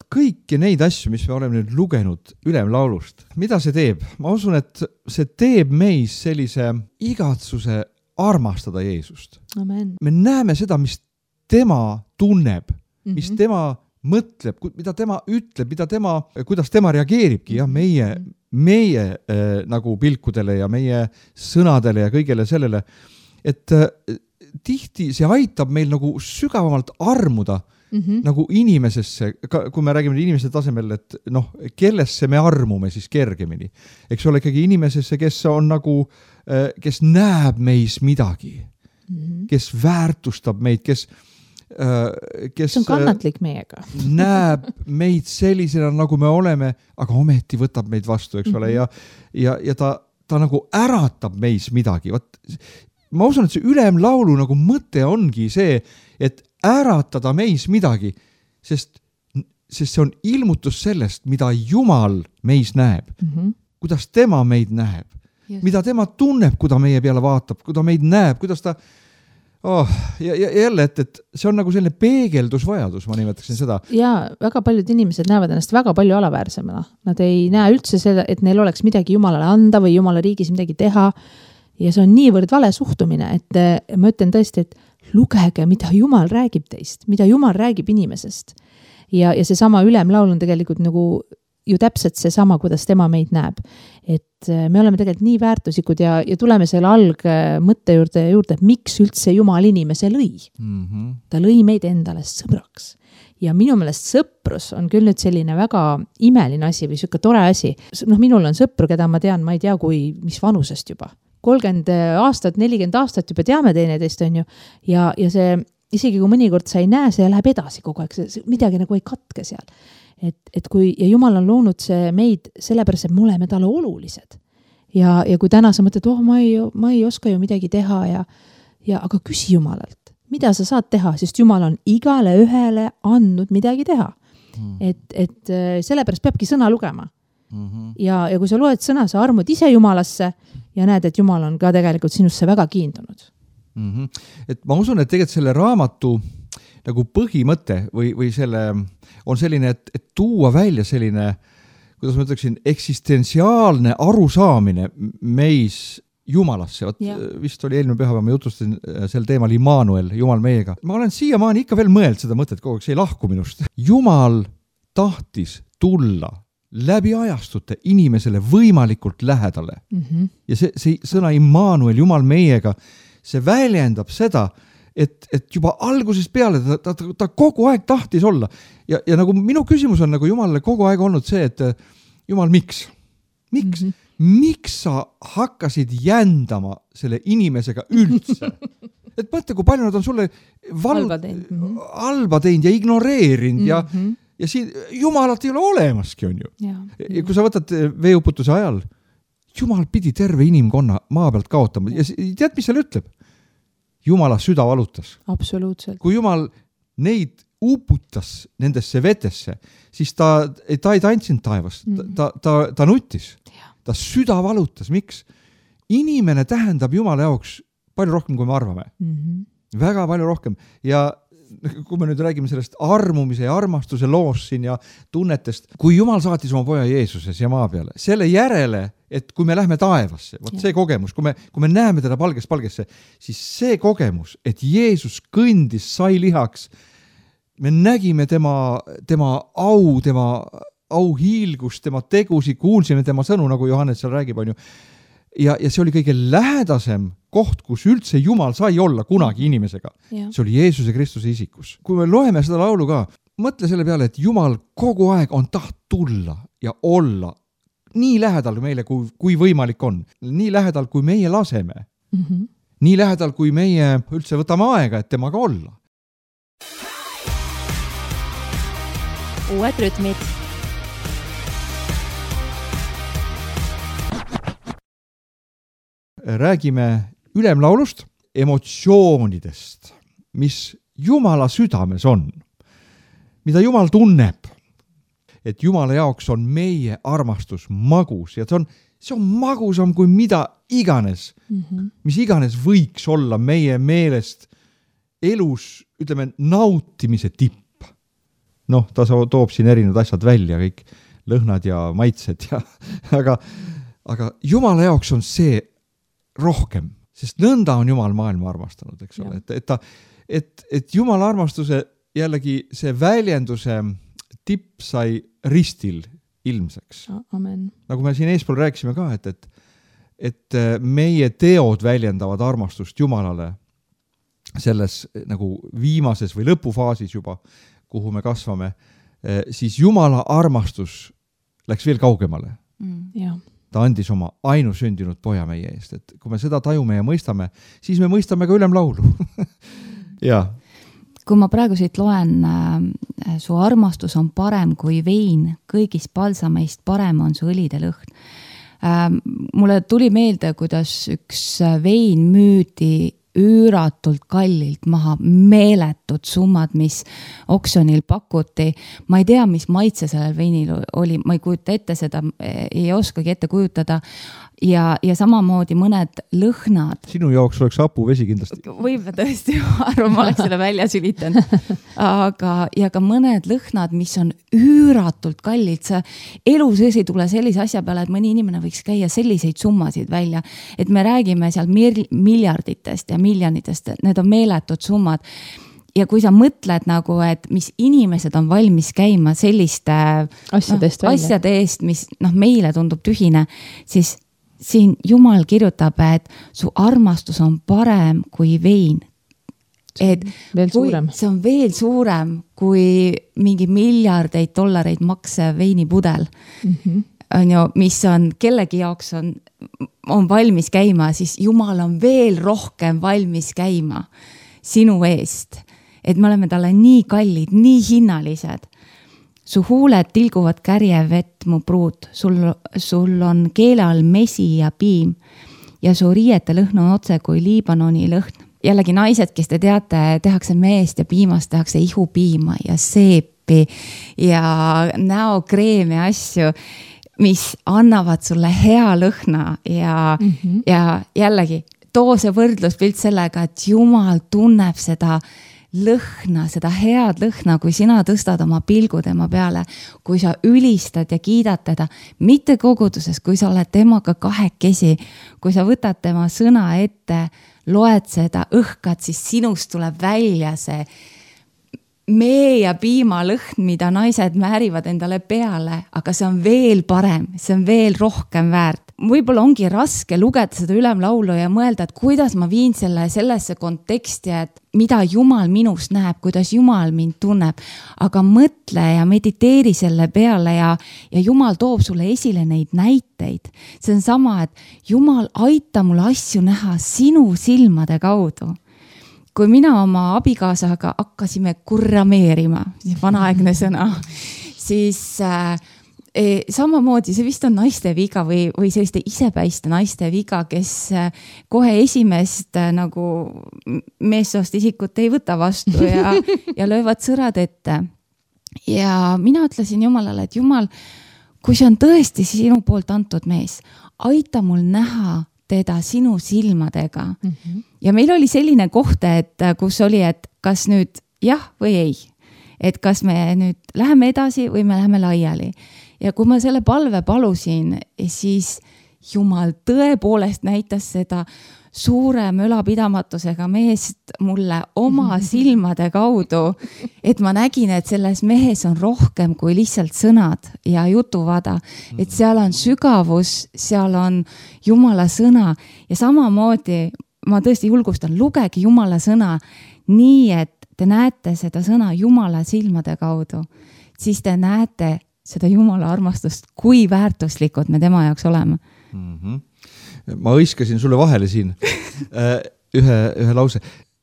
kõiki neid asju, mis me oleme nüüd lugenud ülemlaulust, mida see teeb? Ma usun, et see teeb meis sellise igatsuse armastada Jeesust. Amen. Me näeme seda, mis tema tunneb, mis tema mõtleb, mida tema ütleb, kuidas tema reageeribki meie nagu pilkudele ja meie sõnadele ja kõigele sellele, et tihti see aitab meil nagu sügavamalt armuda nagu inimesesse, kui me räägime inimese tasemel, et kellesse me armume siis kergemini. Eks ole ikkagi inimesesse, kes on nagu, kes näeb meis midagi, kes väärtustab meid, kes on kannatlik meiega. näeb meid sellisena, nagu me oleme, aga ometi võtab meid vastu, eks ole, ja ta nagu äratab meis midagi. Ma usun, et see ülemlaulu nagu mõte ongi see, et äratada meis midagi, sest see on ilmutus sellest, mida Jumal meis näeb, kuidas tema meid näeb, mida tema tunneb, kui ta meie peale vaatab, kui ta meid näeb, kuidas ta ja jälle, et see on nagu selline peegeldusvajadus, ma nimetaksin seda. Ja väga paljud inimesed näevad ennast väga palju alaväärsemana. Nad ei näe üldse seda, et neil oleks midagi Jumalale anda või Jumala riigis midagi teha. Ja see on niivõrd vale suhtumine, et ma ütlen tõesti, et lugege, mida Jumal räägib teist, mida Jumal räägib inimesest. Ja seesama ülemlaul on tegelikult nagu ju täpselt seesama, kuidas tema meid näeb. Et me oleme tegelikult nii väärtuslikud ja tuleme selle algmõtte juurde, et miks üldse Jumal inimese lõi. Ta lõi meid endale sõbraks. Ja minu meelest sõprus on küll nüüd selline väga imeline asi või selline tore asi. Minul on sõpru, keda ma tean, ma ei tea, mis vanusest juba. 30 aastat, 40 aastat juba teame teineteist, on ju. Ja see, isegi kui mõnikord sa ei näe, see läheb edasi kogu aeg, see midagi nagu ei katke seal. Et kui, ja Jumal on loonud see meid sellepärast, et me oleme talle olulised. Ja kui täna sa mõtled, ma ei oska ju midagi teha aga küsi Jumalalt, mida sa saad teha, sest Jumal on igale ühele andnud midagi teha. Et sellepärast peabki sõna lugema. Ja kui sa loed sõna, sa armud ise Jumalasse ja näed, et Jumal on ka tegelikult sinusse väga kiindunud. Et ma usun, et tegelikult selle raamatu nagu põhimõte või selle on selline, et tuua välja selline, kuidas ma ütleksin, eksistentsiaalne arusaamine meis Jumalasse. Vist oli eelmine pühapäev, ma jutustasin sel teemal Immanuel, Jumal meiega. Ma olen siiamaani ikka veel mõeld seda mõtet, kogu aeg see ei lahku minust. Jumal tahtis tulla läbi ajastute inimesele võimalikult lähedale. Ja see sõna Immanuel, Jumal meiega, see väljendab seda, et juba algusest peale ta kogu aeg tahtis olla. Ja nagu minu küsimus on nagu Jumalale kogu aeg olnud see, et Jumal, miks? Miks sa hakkasid jändama selle inimesega üldse? Et mõtle, kui palju nad on sulle halba teinud ja ignoreerinud ja siin Jumalat ei ole olemaski, on ju. Ja kui sa võtad veeuputuse ajal, Jumal pidi terve inimkonna maa pealt kaotama. Ja tead, mis seal ütleb? Jumala süda valutas. Absoluutselt. Kui Jumal neid uputas nendesse vetesse, siis ta ei tantsinud taevast, ta nuttis. Ta süda valutas. Miks? Inimene tähendab Jumala jaoks palju rohkem, kui me arvame. Väga palju rohkem. Ja kui me nüüd räägime sellest armumise ja armastuse loost siin ja tunnetest, kui Jumal saatis oma poja Jeesuses ja maa peale, selle järele, et kui me lähme taevasse, see kogemus, kui me näeme teda palgesse, siis see kogemus, et Jeesus kõndis, sai lihaks, me nägime tema auhiilgust, tema tegusi, kuulsime tema sõnu, nagu Johannes seal räägib, on ju. Ja see oli kõige lähedasem koht, kus üldse Jumal sai olla kunagi inimesega. See oli Jeesuse Kristuse isikus. Kui me loeme seda laulu ka, mõtle selle peale, et Jumal kogu aeg on taht tulla ja olla nii lähedal meile, kui võimalik on. Nii lähedal, kui meie laseme. Nii lähedal, kui meie üldse võtame aega, et temaga olla. Uued rütmid. Räägime ülemlaulust, emotsioonidest, mis Jumala südames on, mida Jumal tunneb, et Jumala jaoks on meie armastus magus ja see on magusam kui mida iganes, mis iganes võiks olla meie meelest elus, ütleme, nautimise tipp. Ta toob siin erinevad asjad välja, kõik lõhnad ja maitsed, aga Jumala jaoks on see rohkem, sest nõnda on Jumal maailma armastanud, eks ole, et Jumala armastuse jällegi see väljenduse tipp sai ristil ilmseks. Amen. Nagu me siin eespool rääkisime ka, et meie teod väljendavad armastust Jumalale selles nagu viimases või lõpufaasis juba, kuhu me kasvame, siis Jumala armastus läks veel kaugemale. Ta andis oma ainusündinud poja meie eest, et kui me seda tajume ja mõistame, siis me mõistame ka ülemlaulu. Ja. Kui ma praegu siit loen, su armastus on parem kui vein, kõigist palsameist parem on su õlide lõhn. Mulle tuli meelde, kuidas üks vein müüdi üüratult kallilt maha, meeletud summad, mis oksjonil pakuti. Ma ei tea, mis maitse sellel veinil oli, ma ei kujuta ette seda, ei oskagi ette kujutada. Ja samamoodi mõned lõhnad. Sinu jaoks oleks hapuvesi kindlasti. Võib tõesti, arvan, ma oleks selle välja sülitanud. Ja ka mõned lõhnad, mis on üüratult kallid. Sa elu sees ei tule sellise asja peale, et mõni inimene võiks käia selliseid summasid välja. Et me räägime seal miljarditest ja miljonitest, need on meeletud summad. Ja kui sa mõtled nagu, et mis inimesed on valmis käima selliste asjade eest, mis meile tundub tühine, siis siin Jumal kirjutab, et su armastus on parem kui vein. Et see on veel suurem kui mingi miljardeid dollareid makse veinipudel, on ju, mis on kellegi jaoks on valmis käima, siis Jumal on veel rohkem valmis käima sinu eest. Et me oleme talle nii kallid, nii hinnalised. Su huuled tilguvad kärje vett, mu pruut. Sul on keele all mesi ja piim ja su riiete lõhn on otse kui Liibanoni lõhn. Jällegi naised, kes te teate, tehakse meest ja piimast, tehakse ihupiima ja seepi ja näokreemi asju, mis annavad sulle hea lõhna ja jällegi too see võrdluspilt sellega, et Jumal tunneb seda lõhna, seda head lõhna, kui sina tõstad oma pilgu tema peale, kui sa ülistad ja kiidad teda, mitte koguduses, kui sa oled temaga kahekesi, kui sa võtad tema sõna ette, loed seda, õhkad, siis sinust tuleb välja see mee ja piima lõhn, mida naised määrivad endale peale, aga see on veel parem, see on veel rohkem väärt. Võib-olla ongi raske lugeda seda ülemlaulu ja mõelda, et kuidas ma viin sellesse konteksti, et mida Jumal minust näeb, kuidas Jumal mind tunneb, aga mõtle ja mediteeri selle peale ja Jumal toob sulle esile neid näiteid. See on sama, et Jumal aita mul asju näha sinu silmade kaudu. Kui mina oma abikaasaga hakkasime kurrameerima, vanaaegne sõna, siis samamoodi see vist on naiste viga või selliste isepäiste naiste viga, kes kohe esimest nagu meessoost isikut ei võta vastu ja löövad sõrad ette. Ja mina ütlesin Jumalale, et Jumal, kui see on tõesti sinu poolt antud mees, aita mul näha teda sinu silmadega. Ja meil oli selline koht, et kus oli, et kas nüüd jah või ei. Et kas me nüüd läheme edasi või me läheme laiali. Ja kui ma selle palve palusin, siis Jumal tõepoolest näitas seda suure mölapidamatusega meest mulle oma silmade kaudu, et ma nägin, et selles mehes on rohkem kui lihtsalt sõnad ja jutuvada, et seal on sügavus, seal on Jumala sõna ja samamoodi ma tõesti julgustan, lugege Jumala sõna nii, et te näete seda sõna Jumala silmade kaudu, siis te näete seda Jumala armastust, kui väärtuslikud me tema jaoks oleme. Ma hõiskasin sulle vahele siin ühe lause,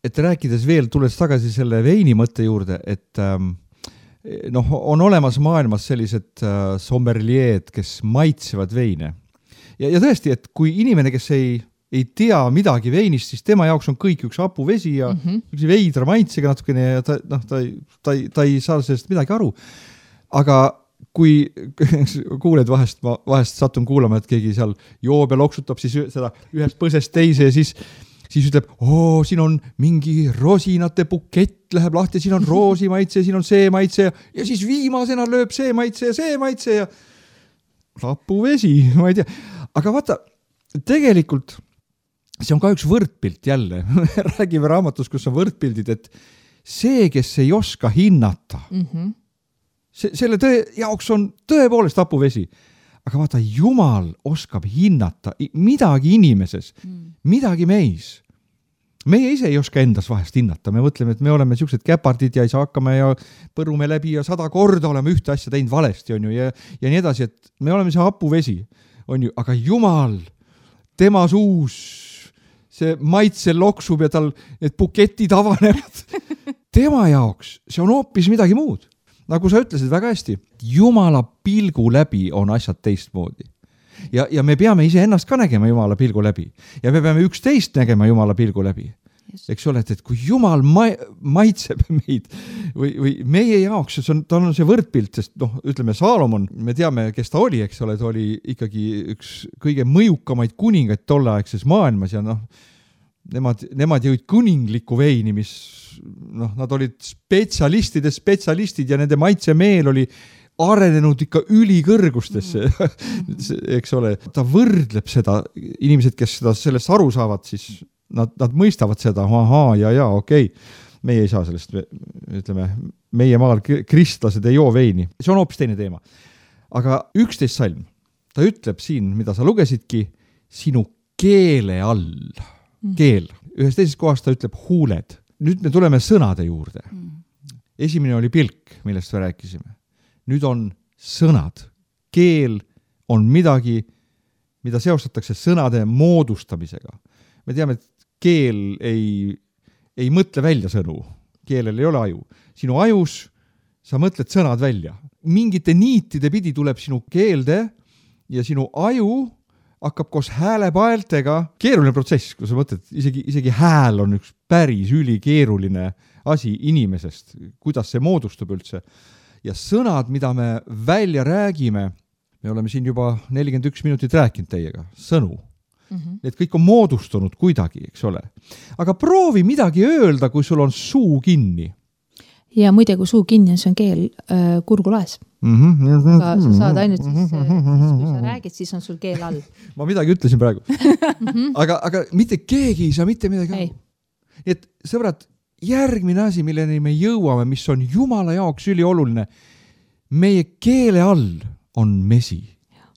et rääkides veel, tulles tagasi selle veini mõtte juurde, et on olemas maailmas sellised sommelieed, kes maitsevad veine. Ja tõesti, et kui inimene, kes ei tea midagi veinist, siis tema jaoks on kõik üks hapuvesi ja üks veidra maitsega natukene ja ta ei saa sellest midagi aru. Aga kui kuuled vahest satun kuulama, et keegi seal joob ja loksutab siis seda ühest põsest teise ja siis ütleb, siin on mingi rosinate bukett, läheb lahti, siin on roosi maitse, siin on see maitse ja siis viimasena lööb see maitse ja hapuvesi, ma ei tea. Aga vaata, tegelikult see on ka üks võrdpilt jälle. Räägime raamatus, kus on võrdpildid, et see, kes ei oska hinnata, selle jaoks on tõepoolest hapuvesi. Aga vaata, Jumal oskab hinnata midagi inimeses, midagi meis. Meie ise ei oska endas vahest hinnata. Me mõtleme, et me oleme sellised käpardid ja ei saa hakkama ja põrume läbi ja 100 korda oleme ühte asja teinud valesti, on ju, ja nii edasi, et me oleme see hapuvesi, on ju, aga Jumal, tema suus, see maitse loksub ja tal need buketid avanevad. Tema jaoks see on hoopis midagi muud. Nagu sa ütlesid väga hästi, Jumala pilgu läbi on asjad teistmoodi. Ja me peame ise ennast ka nägema Jumala pilgu läbi. Ja me peame üksteist nägema Jumala pilgu läbi. Eks ole, et kui Jumal maitseb meid või meie jaoks, ta on see võrdpilt, sest ütleme Saalomon, me teame, kes ta oli, eks ole, ta oli ikkagi üks kõige mõjukamaid kuningaid tolleaegses maailmas ja nemad jõid kuningliku veini, mis nad olid spetsialistid ja nende maitsemeel oli arenenud ikka ülikõrgustesse, eks ole. Ta võrdleb seda, inimesed, kes sellest aru saavad, siis nad mõistavad seda, ahaa, ja, okei. Meie ei saa sellest, ütleme, meie maal kristlased ei joo veini. See on hoopis teine teema. Aga 11 salm, ta ütleb siin, mida sa lugesidki, sinu keele all. Keel. Ühes teises kohas ta ütleb huuled. Nüüd me tuleme sõnade juurde. Esimene oli pilk, millest me rääkisime. Nüüd on sõnad. Keel on midagi, mida seostatakse sõnade moodustamisega. Me teame, et keel ei mõtle välja sõnu. Keelel ei ole aju. Sinu ajus sa mõtled sõnad välja. Mingite niitide pidi tuleb sinu keelde ja sinu aju hakkab koos häälepaeltega. Keeruline protsess, kui sa mõtled, isegi hääl on üks päris ülikeeruline asi inimesest, kuidas see moodustub üldse. Ja sõnad, mida me välja räägime, me oleme siin juba 41 minutit rääkinud teiega, sõnu. Need kõik on moodustunud kuidagi, eks ole. Aga proovi midagi öelda, kui sul on suu kinni. Ja muide, kui suu kinni on, see on keel kurgulaes. Aga sa saad ainult siis, kui sa räägid, siis on sul keel all. Ma midagi ütlesin praegu. aga mitte keegi ei saa mitte midagi. Et sõbrad, järgmine asi, milleni me jõuame, mis on Jumala jaoks ülioluline, meie keele all on mesi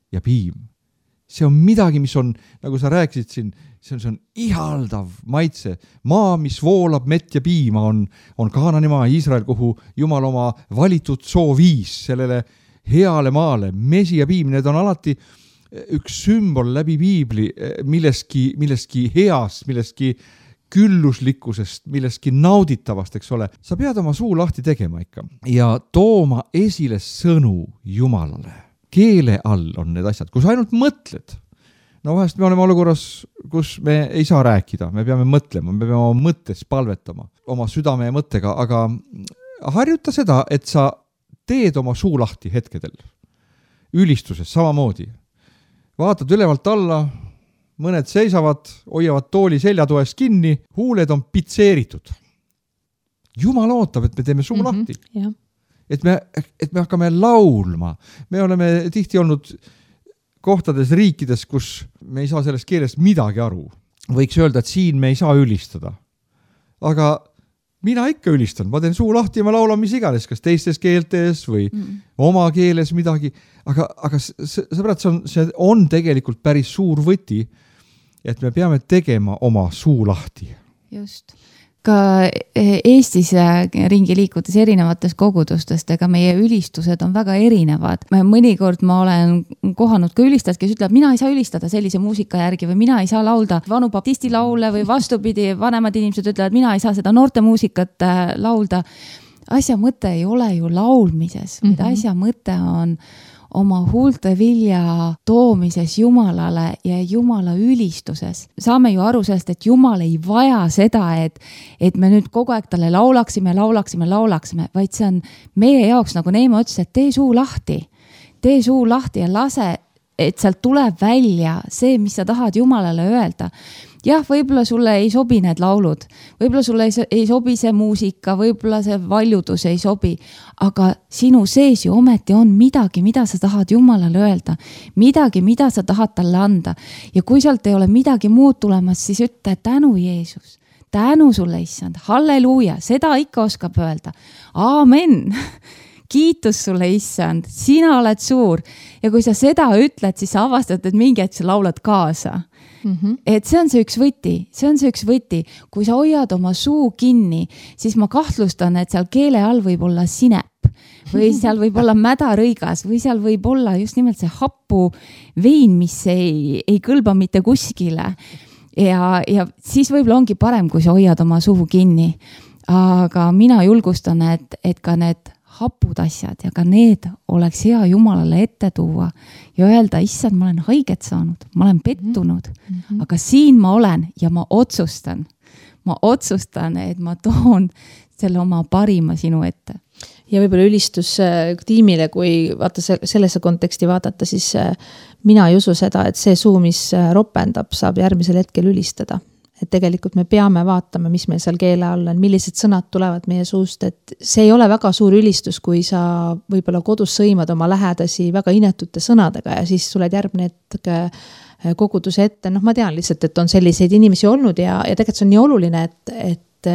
ja piim. See on midagi, mis on, nagu sa rääkisid siin, see on ihaldav maitse. Maa, mis voolab mett ja piima, on Kaanani maa, Iisrael, kuhu Jumal oma valitud soo viis sellele heale maale. Mesi ja piim, need on alati üks sümbol läbi piibli millestki heast, millestki külluslikkusest, millestki nauditavast, eks ole. Sa pead oma suu lahti tegema ikka ja tooma esile sõnu Jumalale. Keele all on need asjad, kus ainult mõtled. No vahest me oleme olukorras, kus me ei saa rääkida, me peame mõtlema, me peame oma mõttes palvetama, oma südame ja mõttega, aga harjuta seda, et sa teed oma suu lahti hetkedel. Ülistuses samamoodi. Vaatad ülevalt alla, mõned seisavad, hoiavad tooli seljatoes kinni, huuled on pitseeritud. Jumal ootab, et me teeme suu lahti. Jah. Et me hakkame laulma. Me oleme tihti olnud kohtades riikides, kus me ei saa sellest keelest midagi aru. Võiks öelda, et siin me ei saa ülistada. Aga mina ikka ülistan. Ma teen suu lahti ja ma laulan mis iganes, kas teistes keeltes või oma keeles midagi. Aga sõbrad, see on tegelikult päris suur võti, et me peame tegema oma suu lahti. Just. Ka Eestis ringi liikudes erinevates kogudustest, ega meie ülistused on väga erinevad. Mõnikord ma olen kohanud ka ülistajad, kes ütleb, mina ei saa ülistada sellise muusika järgi või mina ei saa laulda vanu baptisti laule või vastupidi, vanemad inimesed ütlevad, mina ei saa seda noorte muusikat laulda. Asja mõte ei ole ju laulmises, vaid asja mõte on oma huulte vilja toomises Jumalale ja Jumala ülistuses. Saame ju aru sellest, et Jumal ei vaja seda, et me nüüd kogu aeg talle laulaksime, vaid see on meie jaoks, nagu Neeme ütles, et tee suu lahti ja lase, et sealt tuleb välja see, mis sa tahad Jumalale öelda. Jah, võib-olla sulle ei sobi need laulud, võib-olla sulle ei sobi see muusika, võib-olla see valjudus ei sobi, aga sinu sees ju ometi on midagi, mida sa tahad Jumalale öelda, midagi, mida sa tahad talle anda. Ja kui sealt ei ole midagi muud tulemas, siis ütle tänu Jeesus, tänu sulle issand, halleluuja, seda ikka oskab öelda. Aamen! Kiitus sulle issand, sina oled suur. Ja kui sa seda ütled, siis sa avastad, et mingi hetk sa laulad kaasa. Et see on see üks võti. Kui sa hoiad oma suu kinni, siis ma kahtlustan, et seal keele all võib olla sinep või seal võib olla mädarõigas või seal võib olla just nimelt see happu vein, mis ei kõlba mitte kuskile. Ja siis võib-olla ongi parem, kui sa hoiad oma suu kinni. Aga mina julgustan, et ka need hapud asjad ja ka need oleks hea Jumalale ette tuua ja öelda, issand, ma olen haiget saanud, ma olen pettunud, aga siin ma olen ja ma otsustan, et ma toon selle oma parima sinu ette. Ja võib-olla ülistus tiimile, kui vaata sellesse konteksti vaadata, siis mina ei usu seda, et see suu, mis ropendab, saab järgmisel hetkel ülistada. et tegelikult me peame vaatama, mis meil seal keele all on, millised sõnad tulevad meie suust, et see ei ole väga suur ülistus, kui sa võib-olla kodus sõimad oma lähedasi väga inetute sõnadega ja siis tuled järgmine hetk koguduse ette. Ma tean lihtsalt, et on selliseid inimesi olnud ja tegelikult see on nii oluline, et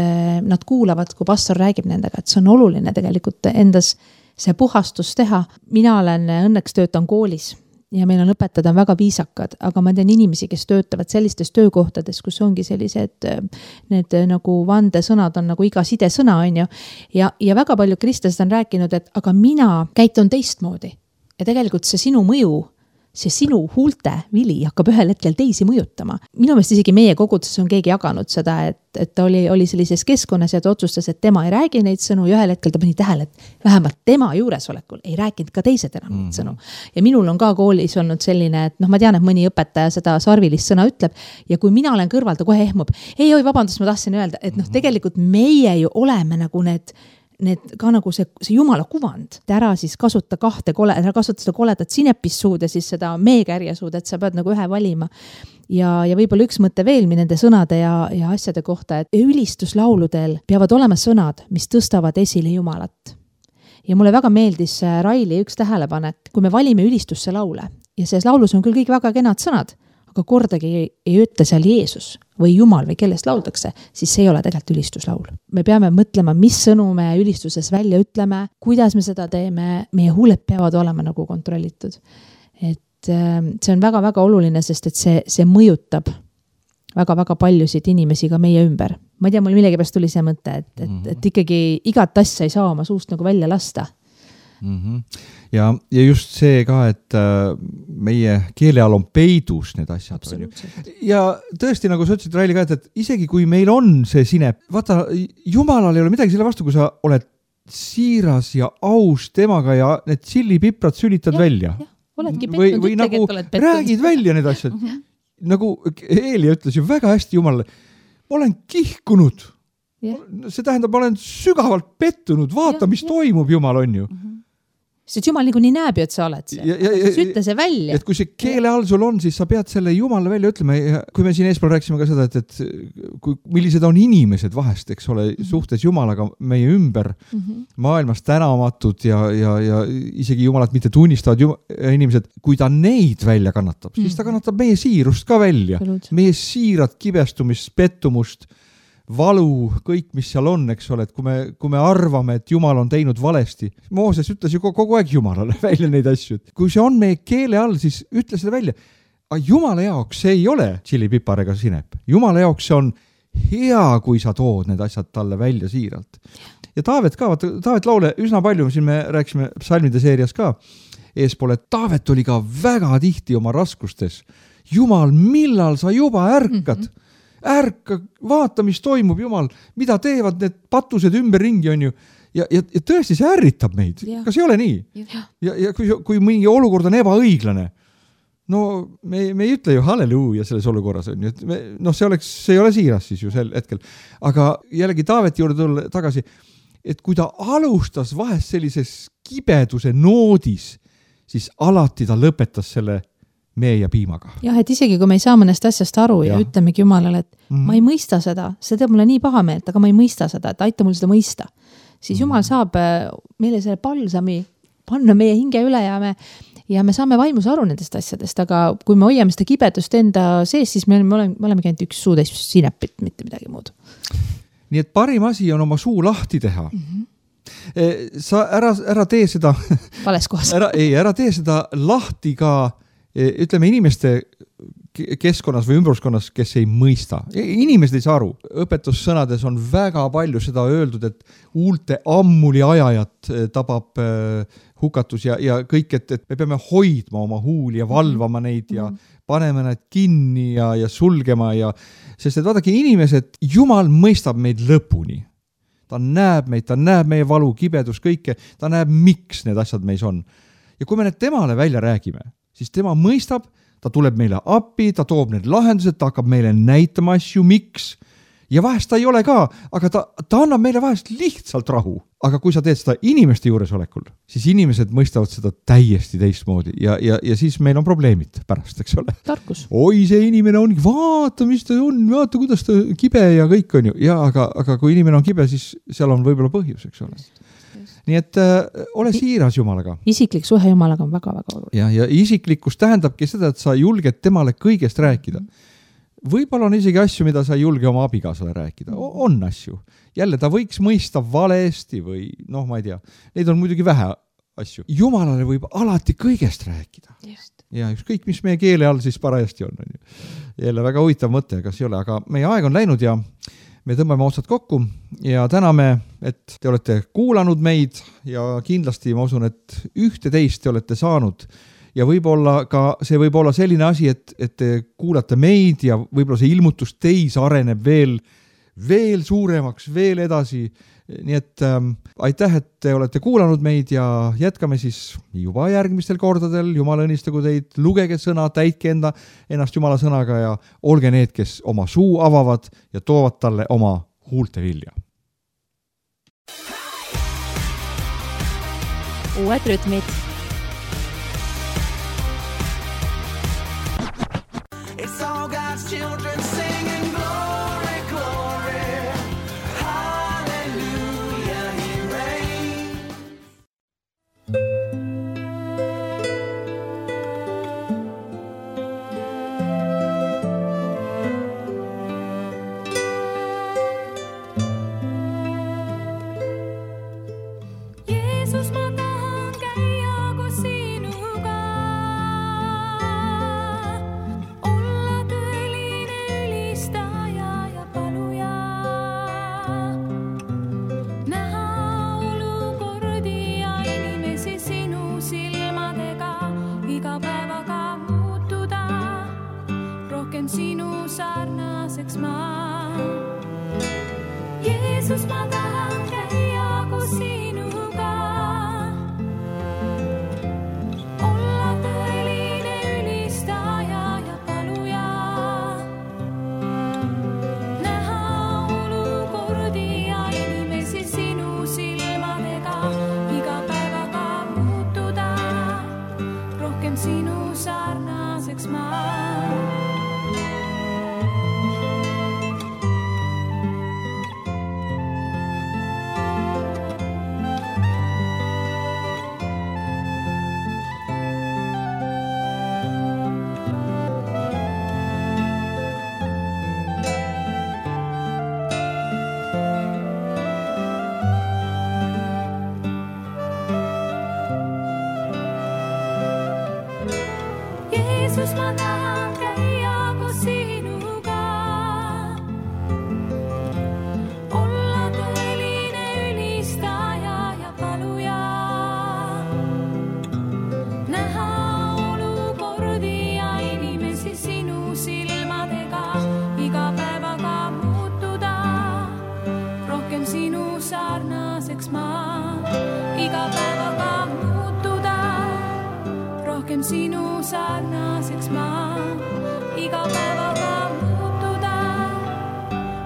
nad kuulavad, kui pastor räägib nendega, et see on oluline tegelikult endas see puhastus teha. Mina olen õnneks töötan koolis ja meil on õpetajad on väga viisakad, aga ma tean inimesi, kes töötavad sellistes töökohtades, kus ongi sellised, need nagu vandesõnad on nagu iga sidesõna on ju. Ja väga palju kristlased on rääkinud, et aga mina käitun teistmoodi. Ja tegelikult see sinu mõju, see sinu huulte vili hakkab ühel hetkel teisi mõjutama. Minu meelest isegi meie koguduses on keegi jaganud seda, et ta oli sellises keskkonnas ja ta otsustas, et tema ei räägi neid sõnu ja ühel hetkel ta pani tähele, et vähemalt tema juuresolekul ei rääkinud ka teised enam neid sõnu. Ja minul on ka koolis olnud selline, et ma tean, et mõni õpetaja seda sarvilist sõna ütleb ja kui mina olen kõrval, ta kohe ehmub. Ei, vabandust, ma tahtsin öelda, et tegelikult meie ju oleme nagu need ka nagu see jumala kuvand. Ära siis kasuta ära kasuta seda koledat sinepissuud ja siis seda meekärjesuud, et sa pead nagu ühe valima. Ja võib-olla üks mõte veel nende sõnade ja asjade kohta, et ülistuslauludel peavad olema sõnad, mis tõstavad esile Jumalat. Ja mulle väga meeldis Raili üks tähelepanek, kui me valime ülistusse laule ja selles laulus on küll kõik väga kenad sõnad, aga kordagi ei ütle seal Jeesus või Jumal või kellest lauldakse, siis see ei ole tegelikult ülistuslaul. Me peame mõtlema, mis sõnu me ülistuses välja ütleme, kuidas me seda teeme, meie huuled peavad olema nagu kontrollitud. Et see on väga-väga oluline, sest et see mõjutab väga-väga paljusid inimesi ka meie ümber. Ma ei tea, mul millegipärast tuli see mõte, et ikkagi igat asja ei saa oma suust nagu välja lasta. Ja just see ka, et meie keele all on peidus need asjad. Ja tõesti, nagu sa ütlesid, Raili ka, et isegi kui meil on see sinep, vaata, Jumalal ei ole midagi selle vastu, kui sa oled siiras ja aus temaga ja need sillipiprad sülitad välja. Või nagu räägid välja need asjad. Nagu Eeli ütles ju väga hästi Jumalale, ma olen kihkunud. See tähendab, ma olen sügavalt pettunud, vaata, mis toimub, Jumal on ju. Sest Jumal nii näeb ju, et sa oled see. Ütle see välja. Et kui see keele all sul on, siis sa pead selle Jumalale välja ütlema. Kui me siin eespool rääksime ka seda, et millised on inimesed vahest, eks ole, suhtes Jumalaga meie ümber maailmas tänamatud ja isegi Jumalat mitte tunnistavad inimesed, kui ta neid välja kannatab, siis ta kannatab meie siirust ka välja. Meie siirat kibestumist, pettumust, valu, kõik, mis seal on, eks ole, et kui me arvame, et Jumal on teinud valesti. Mooses ütles ju kogu aeg Jumalale välja neid asju. Kui see on meie keele all, siis ütle seda välja. Aga Jumala jaoks see ei ole tšillipipar ega sinep. Jumala jaoks see on hea, kui sa tood need asjad talle välja siiralt. Ja Taavet ka, Taavet laule üsna palju, siin me rääksime psalmide seerias ka eespool, et Taavet oli ka väga tihti oma raskustes. Jumal, millal sa juba ärkad? Ärka, vaata, mis toimub, Jumal, mida teevad need patused ümberringi on ju. Ja tõesti see ärritab meid. Kas ei ole nii? Ja kui mingi olukord on ebaõiglane, no me ei ütle ju halleluuja selles olukorras on ju. See ei ole siiras siis ju sel hetkel. Aga jällegi Taaveti juurde tulla tagasi, et kui ta alustas vahest sellises kibeduse noodis, siis alati ta lõpetas selle mee ja piimaga. Jah, et isegi kui me ei saa mõnest asjast aru ja ütlemegi Jumalale, et ma ei mõista seda, see teeb mulle nii paha meelt, aga ma ei mõista seda, et aita mul seda mõista. Siis Jumal saab meile selle palsami panna meie hinge üle ja me saame vaimus aru nendest asjadest, aga kui me hoiame seda kibedust enda sees, siis me oleme käinud üks suutäis sinepit, mitte midagi muud. Nii et parim asi on oma suu lahti teha. Sa ära tee seda vales kohas. Ära tee seda lahti ka ütleme inimeste keskkonnas või ümbruskonnas, kes ei mõista. Inimesed ei saa aru. Õpetussõnades on väga palju seda öeldud, et huulte ammuli ajajat tabab hukatus ja kõik, et me peame hoidma oma huuli ja valvama neid ja paneme need kinni ja sulgema sest et vaadake, inimesed, Jumal mõistab meid lõpuni. Ta näeb meid, ta näeb meie valu, kibedus, kõike, ta näeb, miks need asjad meis on. Ja kui me need temale välja räägime, siis tema mõistab, ta tuleb meile appi, ta toob need lahendused, ta hakkab meile näitama asju, miks. ja vahest ta ei ole ka, aga ta annab meile vahest lihtsalt rahu. Aga kui sa teed seda inimeste juuresolekul, siis inimesed mõistavad seda täiesti teistmoodi ja siis meil on probleemid pärast, eks ole. Tarkus. Oi, see inimene on, vaata, mis ta on, vaata, kuidas ta kibe ja kõik on ju. Ja, aga kui inimene on kibe, siis seal on võib-olla põhjus, eks ole. Nii et ole siiras Jumalaga. Isiklik suhe Jumalaga on väga-väga oluline. Ja isiklikkus tähendabki seda, et sa julged temale kõigest rääkida. Võib-olla on isegi asju, mida sa ei julge oma abigaasale rääkida. On asju. Jälle ta võiks mõista valesti või ma ei tea. Neid on muidugi vähe asju. Jumalale võib alati kõigest rääkida. Just. Ja ükskõik, mis meie keele all siis parajasti on. Jälle väga huvitav mõte, kas ei ole, aga meie aeg on läinud ja me tõmbame otsad kokku ja täname, et te olete kuulanud meid ja kindlasti ma usun, et ühte teist te olete saanud. Ja võib-olla ka see võib olla selline asi, et te kuulate meid ja võib-olla see ilmutus teis areneb veel suuremaks, veel edasi. Nii et aitäh, et te olete kuulanud meid ja jätkame siis juba järgmistel kordadel. Jumal õnnistagu teid, lugege sõna, täitke ennast Jumala sõnaga ja olge need, kes oma suu avavad ja toovad talle oma huulte vilja. Uued rütmid. It's all God's children singing glory, glory, hallelujah, he reigns. Jeesus, ma tahan käia koos sinuga. Olla tõeline ülistaja ja paluja. Näha olukordi ja inimesi sinu silmadega. Iga päevaga muutuda. Rohkem sinu sarnaseks ma. Jeesus, ma tahan käia koos sinuga. Olla tõeline ülistaja ja paluja. Näha olukordi ja inimesi sinu silmadega. Iga päevaga muutuda. Rohkem sinu sarnaseks ma. Jeesus, ma tahan käia koos sinuga. Olla tõeline ülistaja ja paluja. Näha olukordi ja inimesi sinu silmadega. Iga päevaga muutuda. Rohkem sinu sarnaseks ma. Iga päevaga muutuda. Rohkem sinu sarnaseks ma. Iga päevaga muutuda.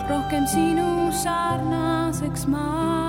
Rohkem sinu sarnaseks ma.